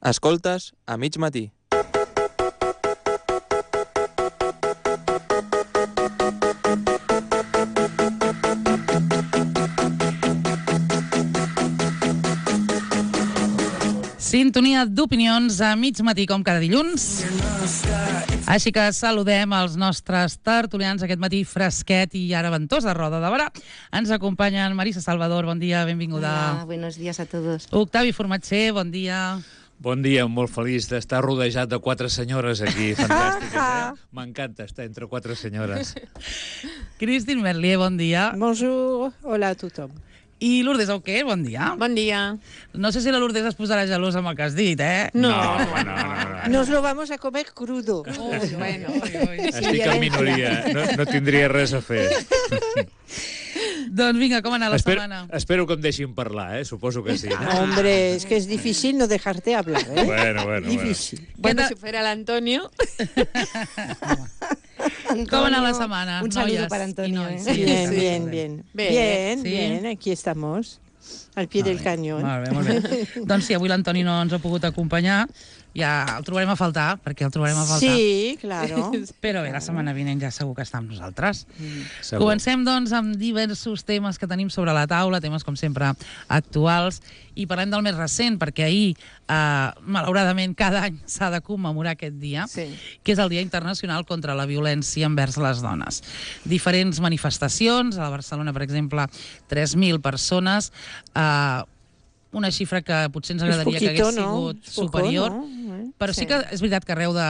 Escoltes a mig matí. Sintonia d'opinions a mig matí, com cada dilluns. Així que saludem els nostres tertulians aquest matí fresquet i ara ventosa roda de barà. Ens acompanyen Marisa Salvador, bon dia, benvinguda. Hola, buenos días a todos. Octavi Formatger, bon dia. Bon dia, molt feliç d'estar rodejat de 4 senyores aquí, fantàstiques, M'encanta estar entre 4 senyores. Christine Merlier, bon dia. Bonjour, hola a tothom. I Lourdes Auqué, bon dia. Bon dia. No sé si la Lourdes es posarà gelosa amb el que has dit, eh? No. Nos lo vamos a comer crudo. Bueno. Estic en minoria, no tindria res a fer. Doncs vinga, com ha anat la setmana? Espero que em deixin parlar, suposo que sí. Hombre, es que es difícil no dejarte hablar, ¿eh? Bueno. Difícil. Bueno, si fuera el Antonio. Com ha anat la setmana, Un saludo noies para Antonio. i nois? Bien, aquí estamos, al pie del cañón. Molt bé. Doncs sí, avui l'Antoni no ens ha pogut acompanyar, ja el trobarem a faltar, perquè el trobarem a faltar. Sí, claro. Però bé, la setmana vinent ja segur que està amb nosaltres. Segur. Comencem, doncs, amb diversos temes que tenim sobre la taula, temes, com sempre, actuals, i parlem del més recent, perquè ahir, malauradament, cada any s'ha de commemorar aquest dia, que és el Dia Internacional contra la Violència envers les Dones. Diferents manifestacions, a la Barcelona, per exemple, 3.000 persones, una xifra que potser ens agradaria que hagués sigut superior, però sí que és veritat que arreu de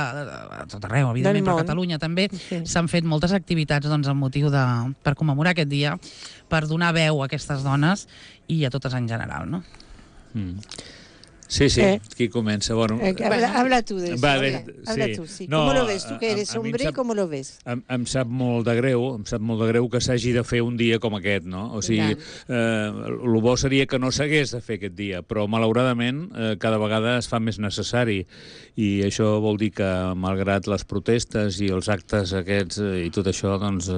tot arreu, evidentment, per Catalunya també, s'han fet moltes activitats amb motiu per commemorar aquest dia, per donar veu a aquestes dones i a totes en general, no? Sí, qui comença? Bueno, habla tú de eso. Vale, habla tú, sí. ¿Cómo lo ves? Tú que eres hombre, ¿cómo lo ves? Em sap molt de greu que s'hagi de fer un dia com aquest, no? O sigui, el bo seria que no s'hagués de fer aquest dia, però malauradament cada vegada es fa més necessari i això vol dir que malgrat les protestes i els actes aquests i tot això, doncs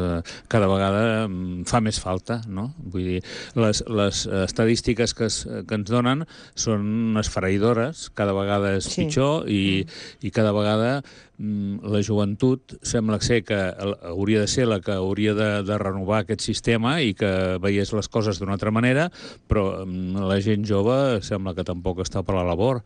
cada vegada fa més falta, no? Vull dir, les estadístiques que ens donen són esfereïdores, cada vegada és pitjor i cada vegada la joventut sembla ser que hauria de ser la que hauria de renovar aquest sistema i que veiés les coses d'una altra manera, però la gent jove sembla que tampoc està per la labor.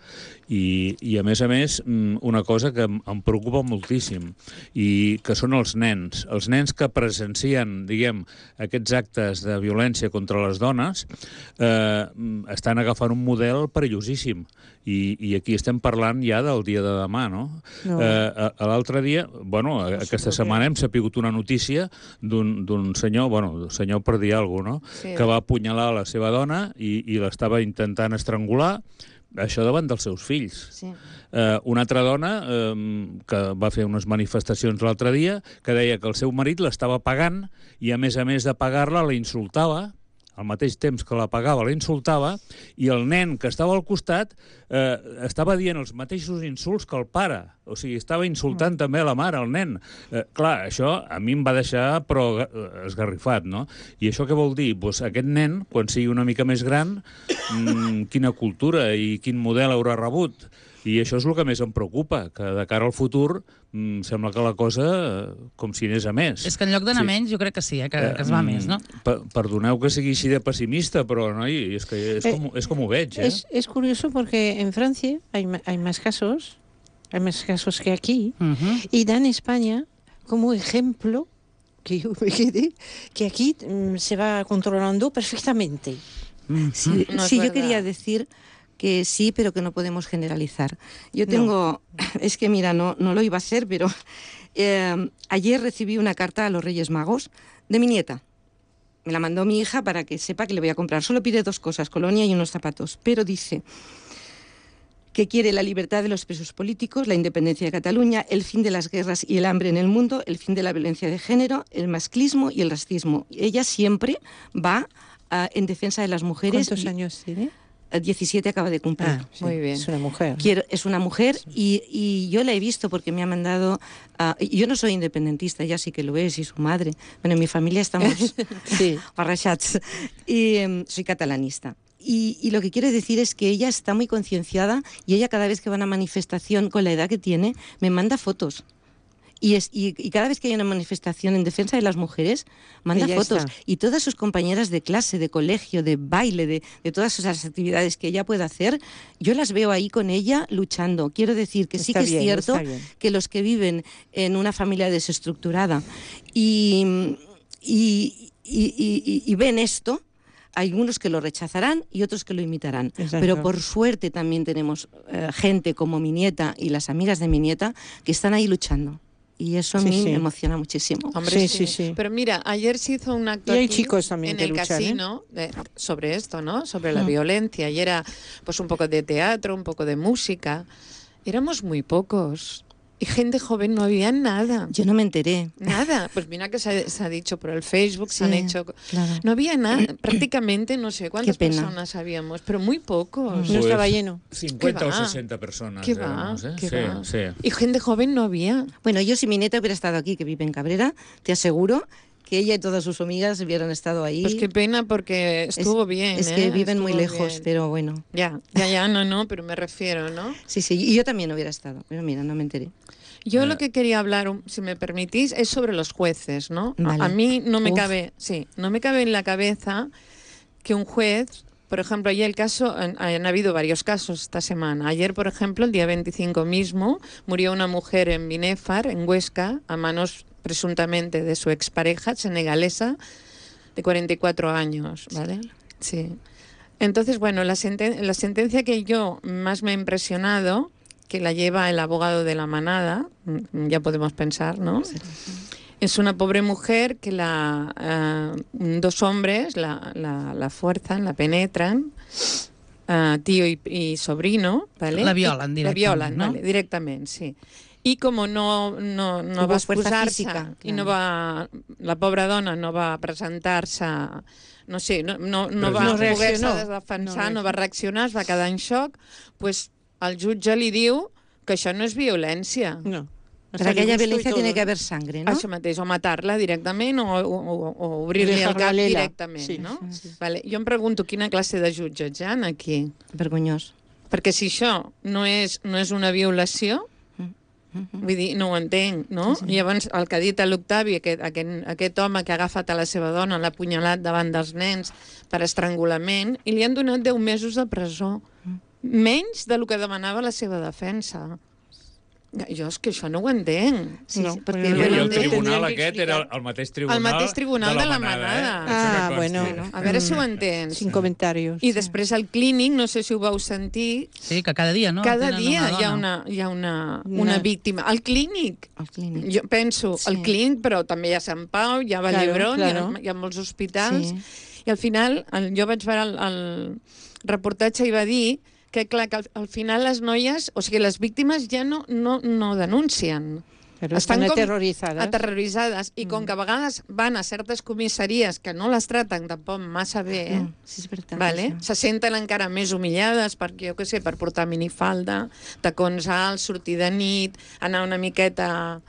I a més, una cosa que em preocupa moltíssim i que són els nens que presencien, diguem, aquests actes de violència contra les dones estan agafant un model perillosíssim. I aquí estem parlant ja del dia de demà, no? L'altre dia, aquesta setmana hem sapigut una notícia d'un senyor, senyor per dir alguna cosa, no? Que va apunyalar la seva dona i l'estava intentant estrangular, això davant dels seus fills. Una altra dona que va fer unes manifestacions l'altre dia que deia que el seu marit l'estava pagant i a més de pagar-la la insultava, al mateix temps que la pagava la insultava, i el nen que estava al costat estava dient els mateixos insults que el pare. O sigui, estava insultant també la mare, el nen. Clar, això a mi em va deixar però esgarrifat, no? I això què vol dir? Doncs aquest nen, quan sigui una mica més gran, quina cultura i quin model haurà rebut? I això és el que més em preocupa, que de cara al futur sembla que la cosa com si anés a més. És que en lloc d'anar menys jo crec que sí, que es va més, no? Perdoneu que sigui així de pessimista, però és com ho veig. Es curioso porque en Francia hay más casos que aquí, y dan España como ejemplo que yo me quedé, que aquí se va controlando perfectamente. Sí, yo quería decir que sí, pero que no podemos generalizar. Yo tengo... Es que mira, no lo iba a hacer, pero ayer recibí una carta a los Reyes Magos de mi nieta. Me la mandó mi hija para que sepa que le voy a comprar. Solo pide 2 cosas, colonia y unos zapatos. Pero dice que quiere la libertad de los presos políticos, la independencia de Cataluña, el fin de las guerras y el hambre en el mundo, el fin de la violencia de género, el masclismo y el racismo. Ella siempre va en defensa de las mujeres. ¿Cuántos años tiene? 17 acaba de cumplir. Muy bien. Es una mujer. Es una mujer y yo la he visto porque me ha mandado... yo no soy independentista, ella sí que lo es, y su madre. Bueno, en mi familia estamos barrachats. Y soy catalanista. Y lo que quiero decir es que ella está muy concienciada y ella cada vez que va a una manifestación con la edad que tiene, me manda fotos. Y cada vez que hay una manifestación en defensa de las mujeres, manda ella fotos. está. Y todas sus compañeras de clase, de colegio, de baile, de todas esas actividades que ella puede hacer, yo las veo ahí con ella luchando. Quiero decir que sí que es cierto que los que viven en una familia desestructurada y ven esto, hay unos que lo rechazarán y otros que lo imitarán. Exacto. Pero por suerte también tenemos gente como mi nieta y las amigas de mi nieta que están ahí luchando. Y eso a mí me emociona muchísimo. Hombre, sí. Pero mira, ayer se hizo un acto y hay aquí chicos también en que el luchan, casino sobre esto, ¿no? Sobre la violencia. Y era pues un poco de teatro, un poco de música. Éramos muy pocos. Y gente joven no había nada. Yo no me enteré. Nada. Pues mira que se ha dicho por el Facebook, Sí, se han hecho... claro. No había nada. Prácticamente no sé cuántas personas habíamos, pero muy pocos. No estaba lleno. 50 o 60 personas. ¿Qué va? Y gente joven no había. Bueno, yo si mi nieta hubiera estado aquí, que vive en Cabrera, te aseguro que ella y todas sus amigas hubieran estado ahí. Pues qué pena porque estuvo bien. Es que viven estuvo muy lejos, bien. pero bueno. Ya, no, pero me refiero, ¿no? Sí, y yo también hubiera estado, pero mira, no me enteré. Yo lo que quería hablar, si me permitís, es sobre los jueces, ¿no? Vale. A mí no me cabe en la cabeza que un juez, por ejemplo, ayer han habido varios casos esta semana. Ayer, por ejemplo, el día 25 mismo, murió una mujer en Binéfar, en Huesca, a manos presuntamente de su expareja senegalesa de 44 años, ¿vale? Sí. Entonces, bueno, la sentencia que yo más me ha impresionado, que la lleva el abogado de la manada, ya podemos pensar, ¿no? Es una pobre mujer que dos hombres la fuerzan, la penetran, tío y sobrino, ¿vale? La violen directament, La violen, no? vale, directament, sí. I com no va exposar-se i la pobra dona no va presentar-se, no sé, no va poder-se defensar, no va reaccionar, es va quedar en xoc, pues el jutge li diu que això no és violència. No. Para que haya violencia tiene que haber sangre, ¿no? Això mateix, o matar-la directament o obrir-li el cap directament, sí, no? Sí. Vale. Jo em pregunto quina classe de jutges hi ha aquí. Vergonyós. Perquè si això no és una violació, vull dir, no ho entenc, no? Sí. Llavors, el que ha dit l'Octavi, aquest home que ha agafat a la seva dona, l'ha apunyalat davant dels nens per estrangulament, i li han donat 10 mesos de presó. Menys del que demanava la seva defensa. Jo és que això no ho entenc. Sí, no, perquè I el tribunal aquest era el mateix tribunal de la manada. Bueno. A veure si ho entens. Sin comentarios. I després al clínic, no sé si ho vau sentir... Sí, que cada dia, no? Cada dia hi ha una víctima. Al clínic. Jo penso, al clínic, però també hi ha Sant Pau, hi ha Vall-d'Hebron, hi ha molts hospitals. I al final, jo vaig veure el reportatge i va dir que, clar, que al final les noies, o sigui, les víctimes ja no denuncien. Però estan aterroritzades. I com que a vegades van a certes comissaries que no les traten tampoc massa bé, sí, és veritat, vale? Se senten encara més humillades perquè, jo què sé, per portar minifalda, tacons alts, sortir de nit, anar una miqueta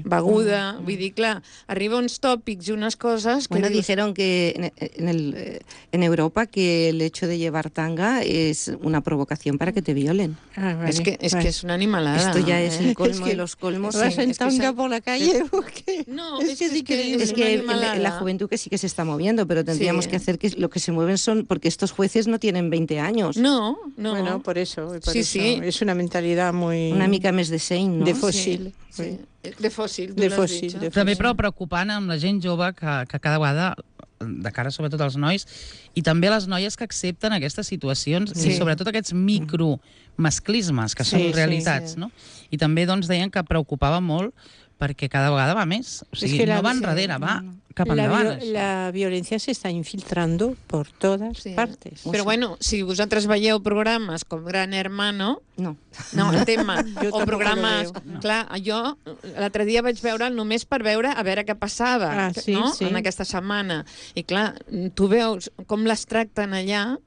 beguda. Vull dir, clar, arriba uns tòpics i unes coses que... Bueno, dijeron que en Europa que el hecho de llevar tanga es una provocación para que te violen. Vale. Es que es una animalada. Esto ya es el colmo de los colmos. ¿Vas en tanga por la calle o qué? No, es que la juventud que sí que se está moviendo, pero tendríamos que hacer que lo que se mueven son... Porque estos jueces no tienen 20 años. No. Bueno, por eso. Sí. Es una mentalidad muy... Una mica més de seny, no? De fòssil. Sí. De fòssil. També prou preocupant amb la gent jove que cada vegada, de cara sobretot als nois, i també les noies que accepten aquestes situacions i sobretot aquests micromasclismes que són realitats, no? I també doncs deien que preocupava molt perquè cada vegada va més. O sigui, no va enrere, va cap endavant. La violencia se está infiltrando por todas partes. Però bueno, si vosaltres veieu programes com Gran Hermano, no, el tema, o programes... Clar, jo l'altre dia vaig veure només per veure a veure què passava en aquesta setmana. I clar, tu veus com les tracten allà,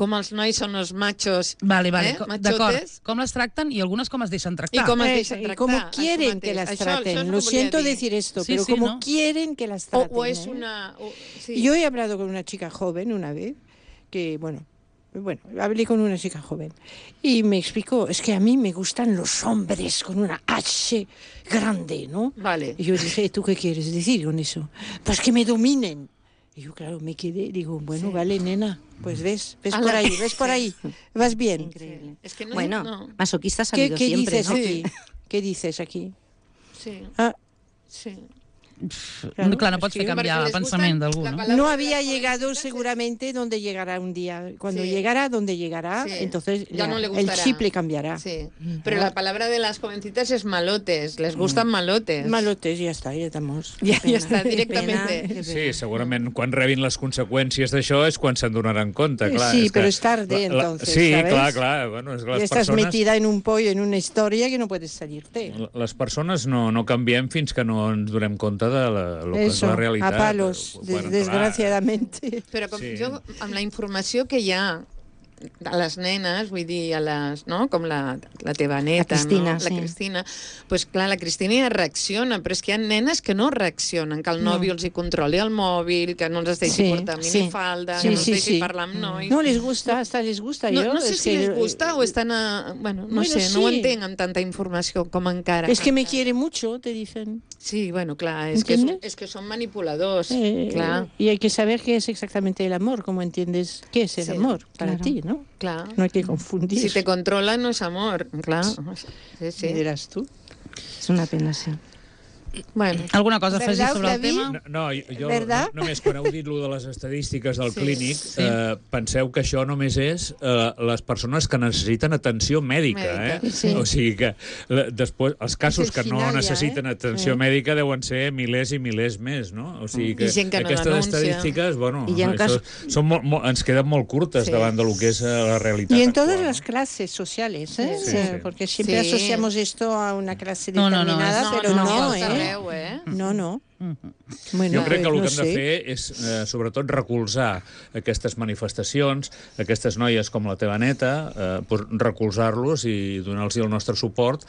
com els nois són els machos, d'acord, com les tracten i algunes com es deixen tractar. I com es deixen tractar. Y como quieren que las traten. Lo siento decir esto, pero como quieren que las traten. O es una... Yo he hablado con una chica joven una vez, que, bueno, Bueno, hablé con una chica joven y me explicó, es que a mí me gustan los hombres con una H grande, ¿no? Vale. Y yo dije, ¿tú qué quieres decir con eso? Pues que me dominen. Y yo, claro, me quedé, digo, bueno, vale, nena, pues ves por ahí, vas bien. Increíble. Es que masoquistas ha ¿Qué habido siempre, dices ¿no? aquí? ¿Qué dices aquí? Sí. Ah, Sí. Clar, no pots fer canviar el pensament d'algú, no? no había llegado seguramente donde llegará un día. Cuando llegará donde llegará, entonces ya no le el gustará. chip le cambiará. Sí. Pero la palabra de las jovencitas es malotes. Les gustan malotes. Malotes, ja està, ja estamos. Ja està, directament. Sí, segurament quan rebin les conseqüències d'això és quan se'n donaran compte, clar. Sí, és pero que es tarde, entonces, sí, ¿sabes? clar. Bueno, és que Ya les estás persones... metida en un pollo, en una historia que no puedes salirte. Les persones no canviem fins que no ens donem compte de lo que és la realitat. A palos, desgraciadamente. Però Sí. jo, amb la informació que hi ha a les nenes, vull dir, a les, no? Com la teva neta, La Cristina, no? sí. La Cristina. Pues clar, la Cristina ja reacciona, però és que hi ha nenes que no reaccionen, que el nòvio els hi controli el mòbil, que no els deixi portar minifalda, que no els deixi parlar amb nois. No les gusta, hasta les gusta. No sé si les gusta o estan a... Bueno, no sé, no ho entenc amb tanta informació com encara. Es que me quiere mucho, te dicen. Sí, bueno, clar, és que són manipuladors, clar. Y hay que saber qué es exactamente el amor, cómo entiendes qué es el amor para ti, ¿no? Clar. No hay que confundir. Si te controla no és amor, clar. Sí. Dirás tú. És una pena, sí. Bueno. Alguna cosa a afegir ¿Verdad, sobre el David? tema? No, jo ¿Verdad? només quan heu dit lo de les estadístiques del clínic, penseu que això només és les persones que necessiten atenció mèdica. Sí. O sigui que després els casos que no final ja, necessiten atenció mèdica deuen ser milers i milers més, no? O sigui que I gent que no aquestes denuncia. estadístiques, bueno, I hi ha això, són ens queden molt curtes davant del que és la realitat Y en actual, todas no? las clases sociales, ¿eh? Sí, sí. Porque siempre Sí. asociamos esto a una clase No, no, no, determinada, pero no, ¿eh? Arreu, No, no. Bueno, Jo crec que el no que hem de sé. fer és, sobretot, recolzar aquestes manifestacions, aquestes noies com la teva neta, recolzar-los i donar-los el nostre suport.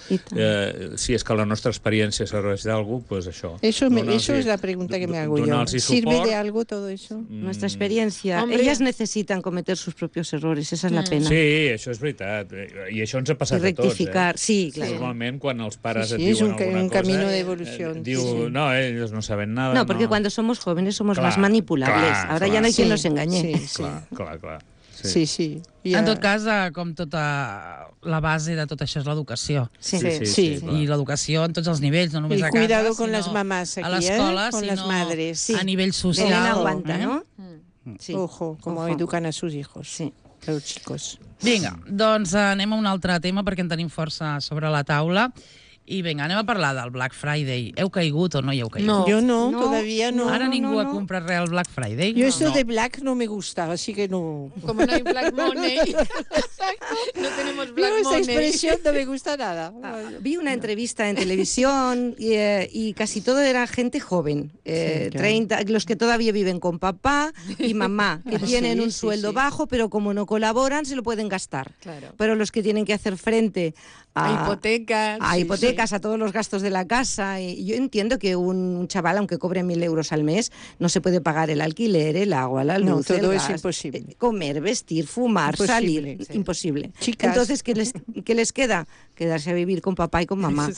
Si és que la nostra experiència serveix d'algú, doncs això. Eso es la pregunta que me hago yo. ¿Sirve de algo todo eso? Nuestra experiencia. Hombre. Ellas necesitan cometer sus propios errores, esa es la pena. Sí, això és veritat. I això ens ha passat I rectificar, a tots. sí, claro. Normalment, quan els pares Sí, et sí, es diuen un alguna cosa... camino de evolución. Diu, no, ellos no saben nada. No, porque cuando somos jóvenes somos Clar, más manipulables. clar, Ahora ya clar. no hay quien Sí, nos engañe. sí, sí. Clar. Sí, sí. En tot cas, com tota la base de tot això és l'educació. Sí. Sí. clar. I l'educació en tots els nivells, no només Y a casa, cuidado con sinó las mamás aquí, a l'escola, con sinó las madres. Sí. a nivell social. Belén aguanta, ¿no? Sí. Ojo, como Ojo. educan a sus hijos, Sí. a los chicos. Vinga, doncs anem a un altre tema perquè en tenim força sobre la taula. I vinga, anem a parlar del Black Friday. Heu caigut o no hi heu caigut? No. Yo no, No, todavía no. Ara ningú no. ha comprat res al Black Friday? Yo esto de black no me gusta, así que no. Como no hay black money. No tenemos black Yo esa money. expresión no me gusta nada. Vi una entrevista en televisión y casi todo era gente joven, 30, los que todavía viven con papá y mamá, que tienen un sueldo bajo, pero como no colaboran se lo pueden gastar. Claro. Pero los que tienen que hacer frente A hipotecas. a hipotecas, a todos los gastos de la casa. Y yo entiendo que un chaval, aunque cobre 1.000 euros al mes, no se puede pagar el alquiler, el agua, la luz, No, todo el es gas, imposible. Comer, vestir, fumar, Imposible, salir, sí. imposible. Chicas. Entonces, ¿qué les queda? Quedarse a vivir con papá y con mamá.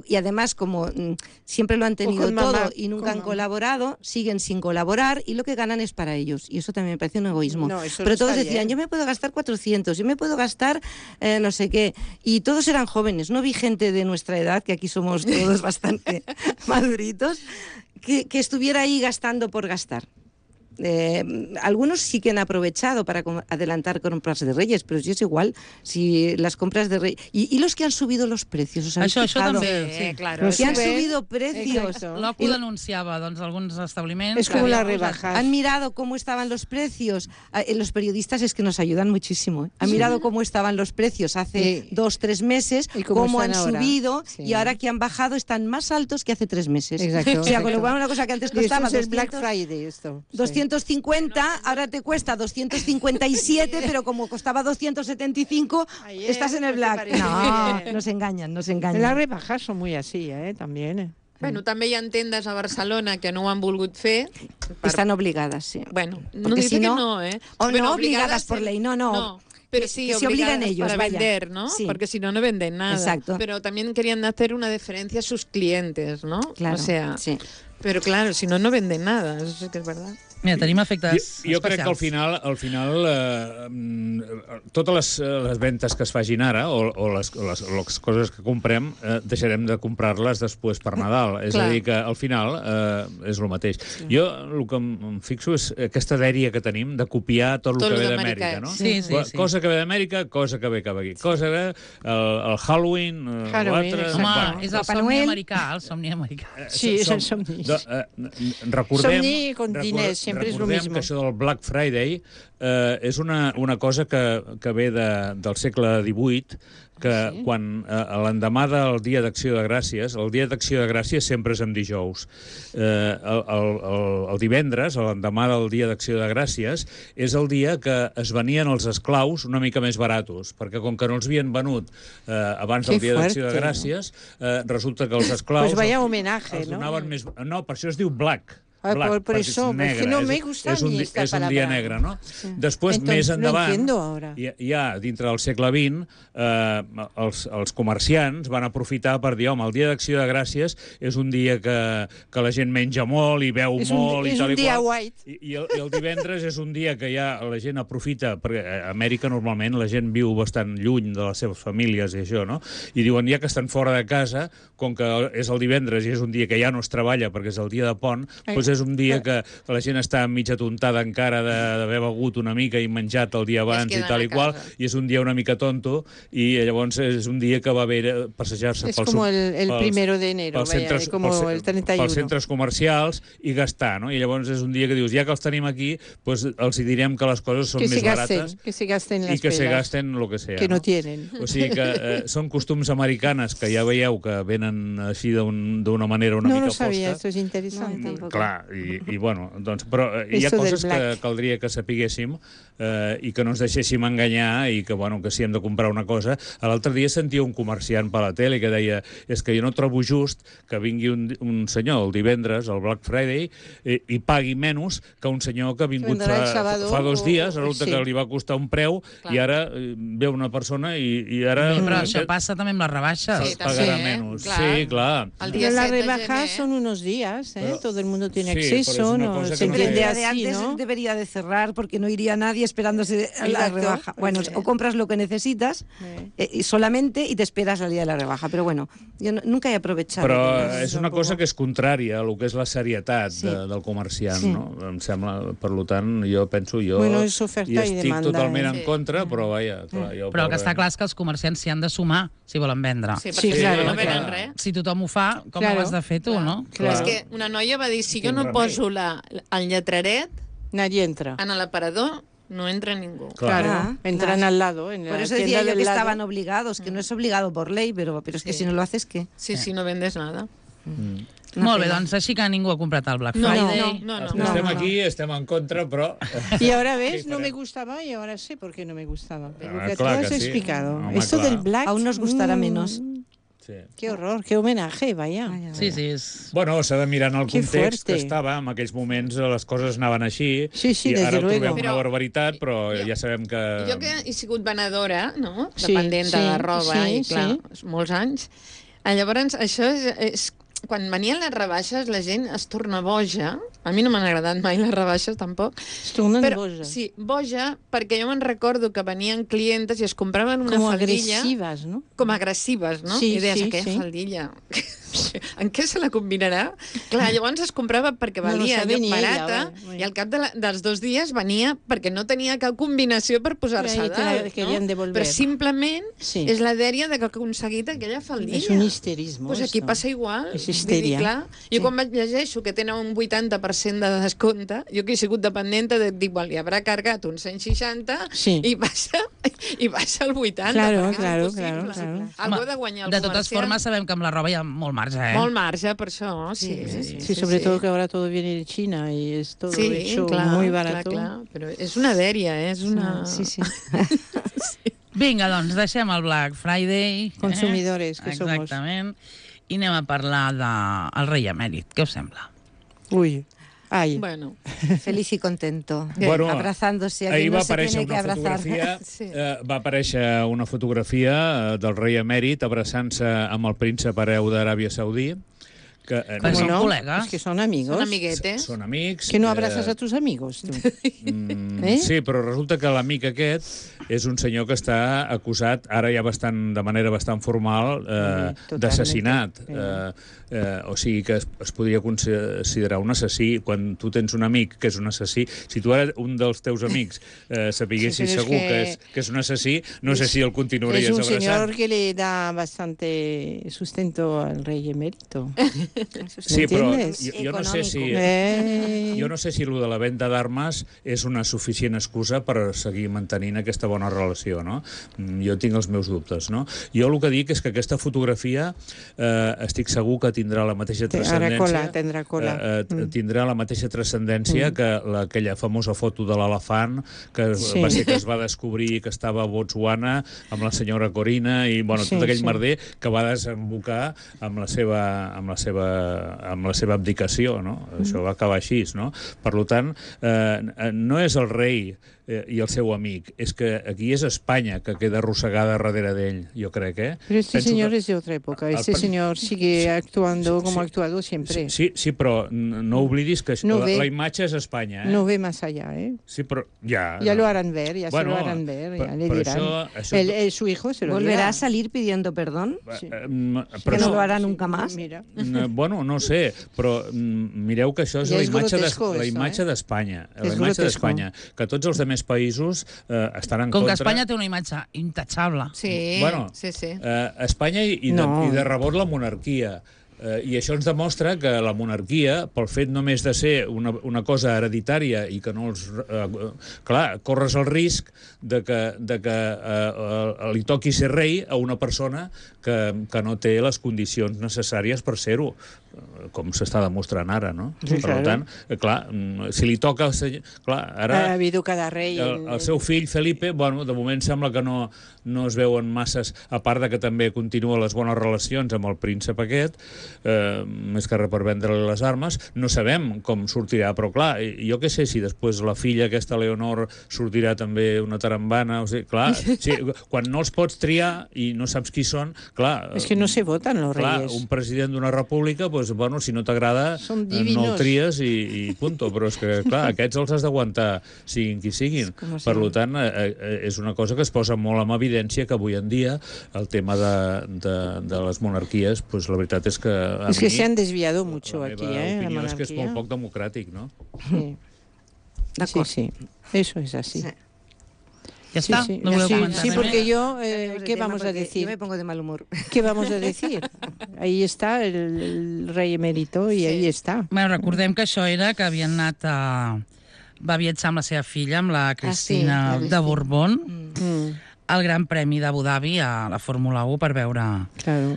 Y además, como siempre lo han tenido con todo mamá, y nunca con han mamá. colaborado, siguen sin colaborar y lo que ganan es para ellos. Y eso también me parece un egoísmo. No, eso Pero no todos está decían, bien. yo me puedo gastar 400, yo me puedo gastar no sé qué. Y todos eran jóvenes. No vi gente de nuestra edad, que aquí somos todos bastante maduritos, que estuviera ahí gastando por gastar. Algunos sí que han aprovechado para adelantar compras de Reyes, pero sí es igual si las compras de Reyes... Y los que han subido los precios, ¿os habéis Això fijado? també, sí. Claro. Los que han Suben, subido precios. exacto. L'OCU denunciava doncs, alguns establiments... Es como que las havien posat- rebajas. Han mirado cómo estaban los precios. Los periodistas es que nos ayudan muchísimo. Han mirado cómo estaban los precios hace Sí. 2-3 meses, Y cómo cómo han están ahora. subido Sí. y ahora que han bajado están más altos que hace 3 meses. Exacto, O sea, con lo exacto. cual una cosa que antes Y esto costaba es el Black 200, Friday, esto. Sí. 250, ahora te cuesta 257, pero como costaba 275, Ayer, estás en el ¿no te Black. parece No, muy bien? nos engañan, nos Las engañan. rebajas son muy así, también. Bueno, també hi ha tendes a Barcelona que no ho han volgut fer. Están obligadas, sí. Bueno, no Porque dice si no, que no, ¿eh? O Bueno, no obligadas por ley, no. Pero sí, que se obligan ellos, para vaya. vender, ¿no? Sí. Porque si no, no venden nada. Exacto. Pero también querían hacer una diferencia a sus clientes, ¿no? Claro, O sea, sí. pero claro, si no, no venden nada. Eso sí que es verdad. Mira, tenim efectes Jo crec que al final totes les ventes que es fagin ara o les coses que comprem deixarem de comprar-les després per Nadal. És a dir, que al final és el mateix. Sí. Jo el que em fixo és aquesta dèria que tenim de copiar tot el que ve d'Amèrica, no? Sí. Cosa que ve d'Amèrica, cosa que ve cap aquí. Cosa que el Halloween, l'altre... Home, és el somni americà, el somni americà. Sí, és el somni. Somni con diners, sempre és el mismo. Que això del Black Friday és una cosa que ve del segle XVIII, que quan l'endemà del Dia d'Acció de Gràcies, el Dia d'Acció de Gràcies sempre és en dijous. El divendres, l'endemà del Dia d'Acció de Gràcies, és el dia que es venien els esclaus una mica més baratos, perquè com que no els havien venut abans del Dia d'Acció de Gràcies, resulta que els esclaus... Pues vaya homenaje, ¿no? No, per això es diu Black. Por eso, es que no me gusta ni esta palabra. És un dia negre, no? Sí. Després, més endavant, ja dintre del segle XX, els comerciants van aprofitar per dir, home, el dia d'Acció de Gràcies és un dia que la gent menja molt i beu molt i tal i qual. És un dia white. I el divendres és un dia que ja la gent aprofita, perquè a Amèrica normalment la gent viu bastant lluny de les seves famílies i això, no? I diuen, ja que estan fora de casa, com que és el divendres i és un dia que ja no es treballa perquè és el dia de pont, doncs és un dia que la gent està mitja tontada encara d'haver begut una mica i menjat el dia abans i tal i qual, i és un dia una mica tonto, i llavors és un dia que va haver passejar-se pels... És com el primero de enero, com el 31. Pels centres comercials i gastar, no? I llavors és un dia que dius, ja que els tenim aquí, doncs els direm que les coses són més barates que se gasten i que se gasten lo que sea. Que no tienen. O sigui que són costums americanes que ja veieu que venen així d'una manera una mica fosca. No lo sabia, esto es interesante. Clar, i bueno, doncs, però hi ha coses que caldria que sapiguéssim i que no ens deixéssim enganyar i que, bueno, que si hem de comprar una cosa... L'altre dia sentia un comerciant per la tele que deia, és que jo no trobo just que vingui un senyor el divendres, el Black Friday, i pagui menys que un senyor que ha vingut fa 2 dies, resulta que li va costar un preu i ara ve una persona i ara... Però això passa també amb les rebaixes. Pagarà menys. Sí, clar. Las rebajas son unos días, todo el mundo tiene acceso, no se entiende así, ¿no? Debería de cerrar porque no iría nadie esperándose a la rebaja. Bueno, o compras lo que necesitas solamente y te esperas al día de la rebaja. Pero bueno, yo nunca he aprovechado. Però és una cosa que és contrària a lo que és la serietat del comerciant, no? Em sembla, per tant, jo penso, jo estic totalment en contra, però vaja... Però el que està clar és que els comerciants s'hi han de sumar si volen vendre. Sí, perquè no venen res. Si tothom ho fa, com ho has de fer tu, no? És que una noia va dir, si jo no poso el lletraret, nadie entra. En l'aparador no entra ningú. Claro, entran al lado. Por eso decía yo que estaban obligados, que no es obligado por ley, pero es que si no lo haces, ¿qué? Sí, si no vendes nada. Molt bé, doncs així que ningú ha comprat el Black Friday. No. Estem aquí, estem en contra, però... Y ahora ves, no me gustaba y ahora sé por qué no me gustaba. Lo que tú has explicado. Home, esto del Black... Aún nos gustará menos. Sí. Qué horror, qué homenaje, vaya. Sí, és... Bueno, s'ha de mirar en el context que estava, en aquells moments les coses anaven així, i ara trobem una barbaritat, però ja sabem que... Jo que he sigut venedora, no?, dependenta de roba, i clar, molts anys, llavors això és quan venien les rebaixes la gent es torna boja. A mi no m'han agradat mai les rebaixes, tampoc. Es tornen boja. Sí, boja, perquè jo me'n recordo que venien clientes i es compraven una faldilla... Com agressives, no? Com agressives, no? Sí, I deies, aquella faldilla... En què se la combinarà? Clar, llavors es comprava perquè valia barata i al cap dels 2 dies venia perquè no tenia cap combinació per posar-se a dalt, no? Però simplement és la dèria de que ha aconseguit aquella faldilla. És un histerisme. Pues aquí passa igual. És histèria. Clar, jo quan llegeixo que tenen un 80% de descompte, jo que he sigut dependenta, dic, li haurà cargat un 160 i baixa el 80. Claro. Algo de guanyar el comercial. De totes formes, sabem que amb la roba hi ha molt marge. Molt marge, per això, sí, sobre todo que ahora todo viene de China y es todo hecho muy barato. Clar, però és una dèria, és una... Sí. Vinga, doncs, deixem el Black Friday. Consumidores que somos. Exactament. i anem a parlar del rei emèrit. Què us sembla? Ui, ai. Bueno. Feliz y contento. Bueno, abrazándose. Ahir no va se aparèixer tiene que una abrazar. fotografia, Sí. va aparèixer una fotografia del rei emèrit abraçant-se amb el príncep hereu d'Aràbia Saudí, que Però ¿Cómo son no? colegas. Es que son amigos. Són amiguetes. són amics. Que no abrazas a tus amigos, tu. Eh? Sí, però resulta que l'amic aquest és un senyor que està acusat, ara ja de manera bastant formal, Totalment. d'assassinat. O sigui que es podria considerar un assassí. Quan tu tens un amic que és un assassí, si tu ara un dels teus amics sapiguessis Sí, però és segur que que és un assassí, no sé si el continuaries Es un abraçant. señor que le da bastante sustento al rey emérito. Sí, però ¿Entiendes? jo no sé si... Jo no sé si el de la venda d'armes és una suficient excusa per seguir mantenint aquesta bona relació, no? Jo tinc els meus dubtes, no? Jo el que dic és que aquesta fotografia estic segur que tindrà la mateixa transcendència... Tendrà cola. Tindrà la mateixa transcendència que aquella famosa foto de l'elefant que va ser que es va descobrir que estava a Botswana amb la senyora Corina i bueno, tot aquell merder que va desembocar amb la seva abdicació, no? Això va acabar així, no? Per tant, no és el rei i el seu amic, és que aquí és Espanya que queda arrossegada darrere d'ell, jo crec, Pero este señor es de otra época. Este señor sigue actuando como ha actuado siempre. Sí, però no oblidis que la imatge és Espanya, No ve más allá, Sí, però ja lo harán ver, se lo harán ver, ya le dirán. Su hijo se lo dirá. ¿Volverá a salir pidiendo perdón? Sí. ¿Que no lo hará nunca más? Mira. Bueno, no sé, però mireu que això és Ja la és imatge grotesco, d'Espanya. La És imatge grotesco. d'Espanya. Que tots els altres països estan en Com contra... que Espanya té una imatge intachable. Sí, Bueno, sí. Espanya i de rebot la monarquia. I això ens demostra que la monarquia, pel fet només de ser una cosa hereditària i que no els... clar, corres el risc de que li toqui ser rei a una persona que no té les condicions necessàries per ser-ho, com s'està demostrant ara, no? Sí, per tant, clar, si li toca... Clar, ara... Ha habido cada rei... El seu fill, Felipe, bueno, de moment sembla que no es veuen masses, a part de que també continua les bones relacions amb el príncep aquest, més que res per vendre-li les armes. No sabem com sortirà, però clar, jo què sé si després la filla, aquesta Leonor, sortirà també una tarambana, o sigui, clar, quan no els pots triar i no saps qui són, clar... És que no se voten los reyes. Un president d'una república, doncs, bueno, si no t'agrada, no el tries i punto, però és que, clar, aquests els has d'aguantar, siguin qui siguin. Per tant, és una cosa que es posa molt en evidència que avui en dia el tema de les monarquies, pues la veritat és que es que se han desviado mucho aquí, la opinió és que és monarquía. molt poc democràtic, no? Sí. Sí, eso es así. ¿Ya está? Sí, ¿No voleu comentar sí, res porque més? yo, ¿qué vamos a decir? Yo me pongo de mal humor. ¿Qué vamos a decir? Ahí está el rey emérito y ahí está. Bueno, recordem que això era que havien anat a... Va viatjar amb la seva filla, amb la Cristina de Borbón, al Gran Premi d'Abu Dhabi a la Fórmula 1 per veure... Claro.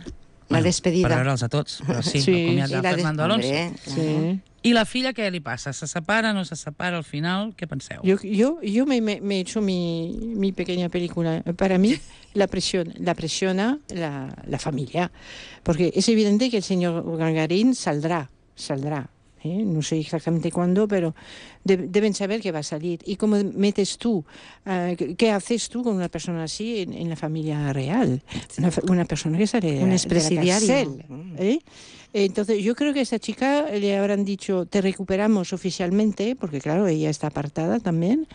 La despedida. Per veure'ls a tots, però sí, Sí. el comiat de Fernando Alonso. Sí. I la filla, què li passa? Se separa, no se separa al final? Què penseu? Yo me he hecho mi pequeña película. Para mí la presiona la familia, porque es evidente que el señor Gagarin saldrá. No sé exactamente cuándo, pero deben saber que va a salir. ¿Y cómo metes tú? ¿Qué haces tú con una persona así en la familia real? Una persona que sale de la cárcel, Entonces, yo creo que a esta chica le habrán dicho, te recuperamos oficialmente, porque claro, ella está apartada también,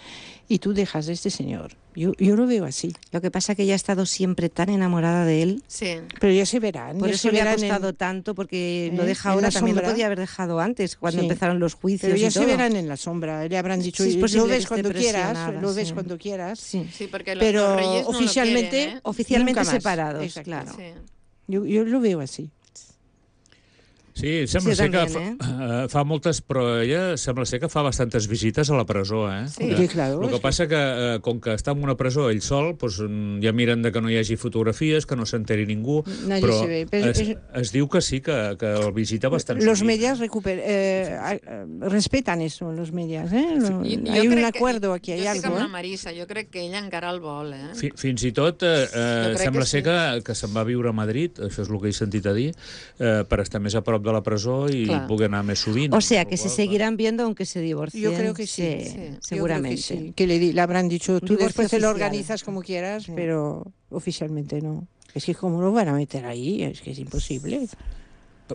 y tú dejas de este señor. Yo lo veo así. Lo que pasa es que ella ha estado siempre tan enamorada de él. Sí. Pero ya se verán. Por ya eso se le ha verán costado tanto, porque lo en deja la ahora, también lo sombra. podía haber dejado antes, cuando Sí. empezaron los juicios Pero ya y se todo. verán en la sombra. Le habrán dicho, Sí, es posible lo que ves esté cuando quieras, presionada, lo ves sí. cuando quieras. Sí. Sí, porque los Pero reyes no oficialmente, lo quieren, ¿eh? Oficialmente nunca más. separados, Exacto. claro. Sí. Yo lo veo así. Sí, sembla ser que fa moltes, però ella sembla ser que fa bastantes visites a la presó, eh? Sí, claro. El que passa que, com que està en una presó ell sol, doncs ja miren de que no hi hagi fotografies, que no s'enteri ningú, però es diu que sí, que el visita bastant. Los medios respetan eso, los medios, ¿eh? Hay un acuerdo aquí, hay algo. Jo estic amb la Marisa, jo crec que ella encara el vol, eh? Fins i tot sembla ser que se'n va a viure a Madrid, això és el que he sentit a dir, per estar més a prop de la presó y pugui anar més sovint. O sea, que se seguirán viendo aunque se divorcien. Yo creo que sí, seguramente. Que le habrán dicho, tú después te lo organizas como quieras, pero oficialmente no. Es que ¿cómo lo van a meter ahí? Es que es imposible.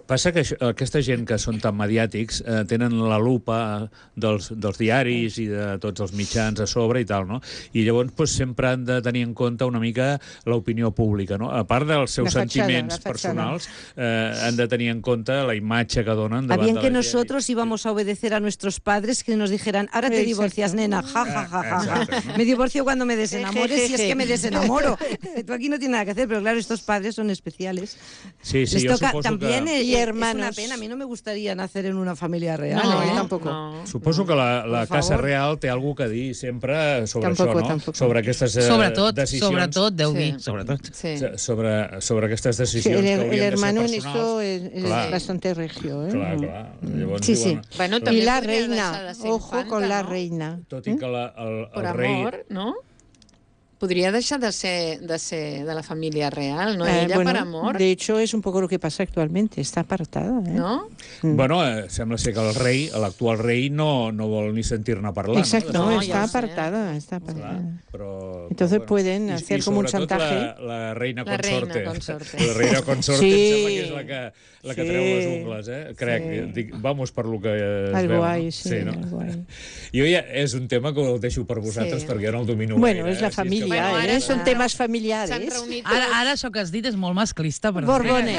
Passa que aquesta gent que són tan mediàtics tenen la lupa dels diaris i de tots els mitjans a sobre i tal, no? I llavors sempre han de tenir en compte una mica l'opinió pública, no? A part dels seus sentiments personals, han de tenir en compte la imatge que donen davant de la gent. Bien que nosotros íbamos a obedecer a nuestros padres que nos dijeran, ahora te divorcias, nena, ja, ja, ja, ja. Me divorcio cuando me desenamores, si es que me desenamoro. Tú aquí no tienes nada que hacer, pero claro, estos padres son especiales. Sí, yo suposo también que... Y hermanos. Es una pena, a mí no me gustaría nacer en una familia real. No, tampoco. No. Suposo que la Casa Real té alguna cosa a dir sempre sobre això, no? Tampoco. Sobre aquestes decisions. Sobretot, deu dir. Sobretot. Sobre aquestes decisions que haurien el hermano de ser en esto es bastante regio, ¿eh? Clar. Llavors, sí. Bueno, y la reina, ojo con la reina. Tot i que el rei... Amor, no? Podria deixar de ser de la família real, ¿no? Ella bueno, per amor. De hecho, es un poco lo que pasa actualmente. Está apartada, ¿eh? ¿No? Bueno, sembla ser que el rei, l'actual rei, no vol ni sentir-ne parlar. Exacto, no, está apartada. Está apartada. Però, entonces pueden hacer como un chantaje. La reina consorte. La reina consorte em sembla que és la que treu les ungles, eh? Crec, vamos per lo que es algo veu. Hay, sí, no? algo hay. Jo ja és un tema que el deixo per vosaltres perquè jo no el domino bueno, gaire. És la família, són temes familiares. Ara això que has dit és molt masclista. Borbone.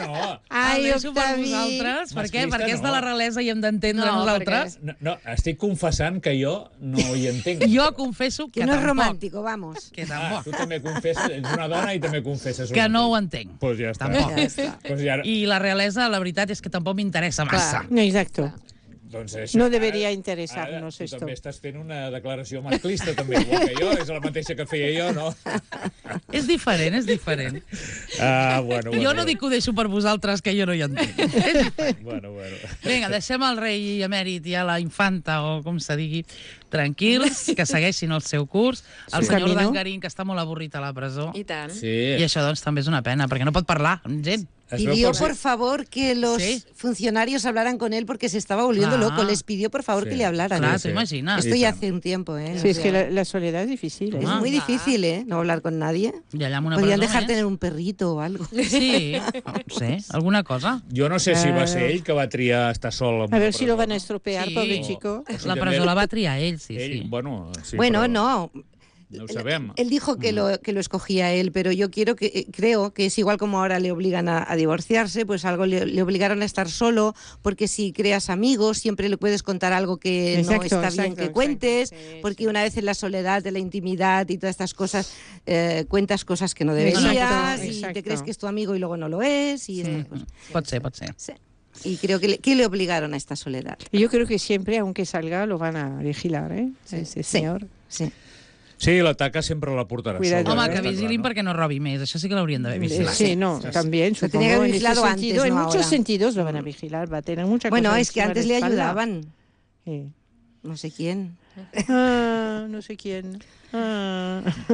No. Ai, deixo per vosaltres. Per què? Perquè és de la realesa i hem d'entendre nosaltres. No, estic confessant que jo no hi entenc. Jo confesso que no tampoc. és romàntico, vamos. Que tampoc. Tu també confesses, ets una dona i també confesses. Que no ho entenc. Pues ja està. Tampoc. I la realesa, la veritat és que tampoc m'interessa massa. Exacto. Doncs això, no debería interesarnos esto. Tu també estàs fent una declaració masclista, també, igual que jo, és la mateixa que feia jo, no? És diferent, és diferent. Bueno. Jo no dic que ho deixo per vosaltres, que jo no hi entenc. Bueno. Vinga, deixem el rei emèrit i a la infanta, o com se digui, tranquils, que segueixin el seu curs. El senyor Dangarín, que està molt avorrit a la presó. I tant. Sí. I això, doncs, també és una pena, perquè no pot parlar amb gent. Pidió por favor que los funcionarios hablaran con él porque se estaba volviendo loco. Les pidió por favor que le hablaran. Claro, te imaginas. Esto ya hace un tiempo, ¿eh? Sí, es que la soledad es difícil. Es muy difícil, ¿eh? No hablar con nadie. Podrían dejar tener un perrito o algo. Sí, no sé, alguna cosa. Jo no sé si va ser ell que va triar estar sol. A ver si lo van a estropear, pobre chico. La presó la va triar ell, sí. Bueno, no. No ho sabem. Él dijo que lo escogía él, pero yo creo que es igual como ahora le obligan a divorciarse, pues algo le obligaron a estar solo, porque si creas amigos siempre le puedes contar algo que no está bien que cuentes, porque una vez en la soledad de la intimidad y todas estas cosas, cuentas cosas que no deberías y te crees que es tu amigo y luego no lo es. Y estas cosas. Pot ser. Sí. Y creo que le obligaron a esta soledad. Y yo creo que siempre, aunque salga, lo van a vigilar, ¿eh? Ese señor. Sí. Sí, la taca sempre la portarà sola. Home, que vigilin perquè no robi més. Això sí que l'haurien d'haver vigilat. Sí, no, también, supongo. Tenía que haber vigilado antes, en muchos sentidos lo van a vigilar, va a tener mucha cosa. Bueno, es que antes le ayudaban. Sí. No sé quién. No sé quién.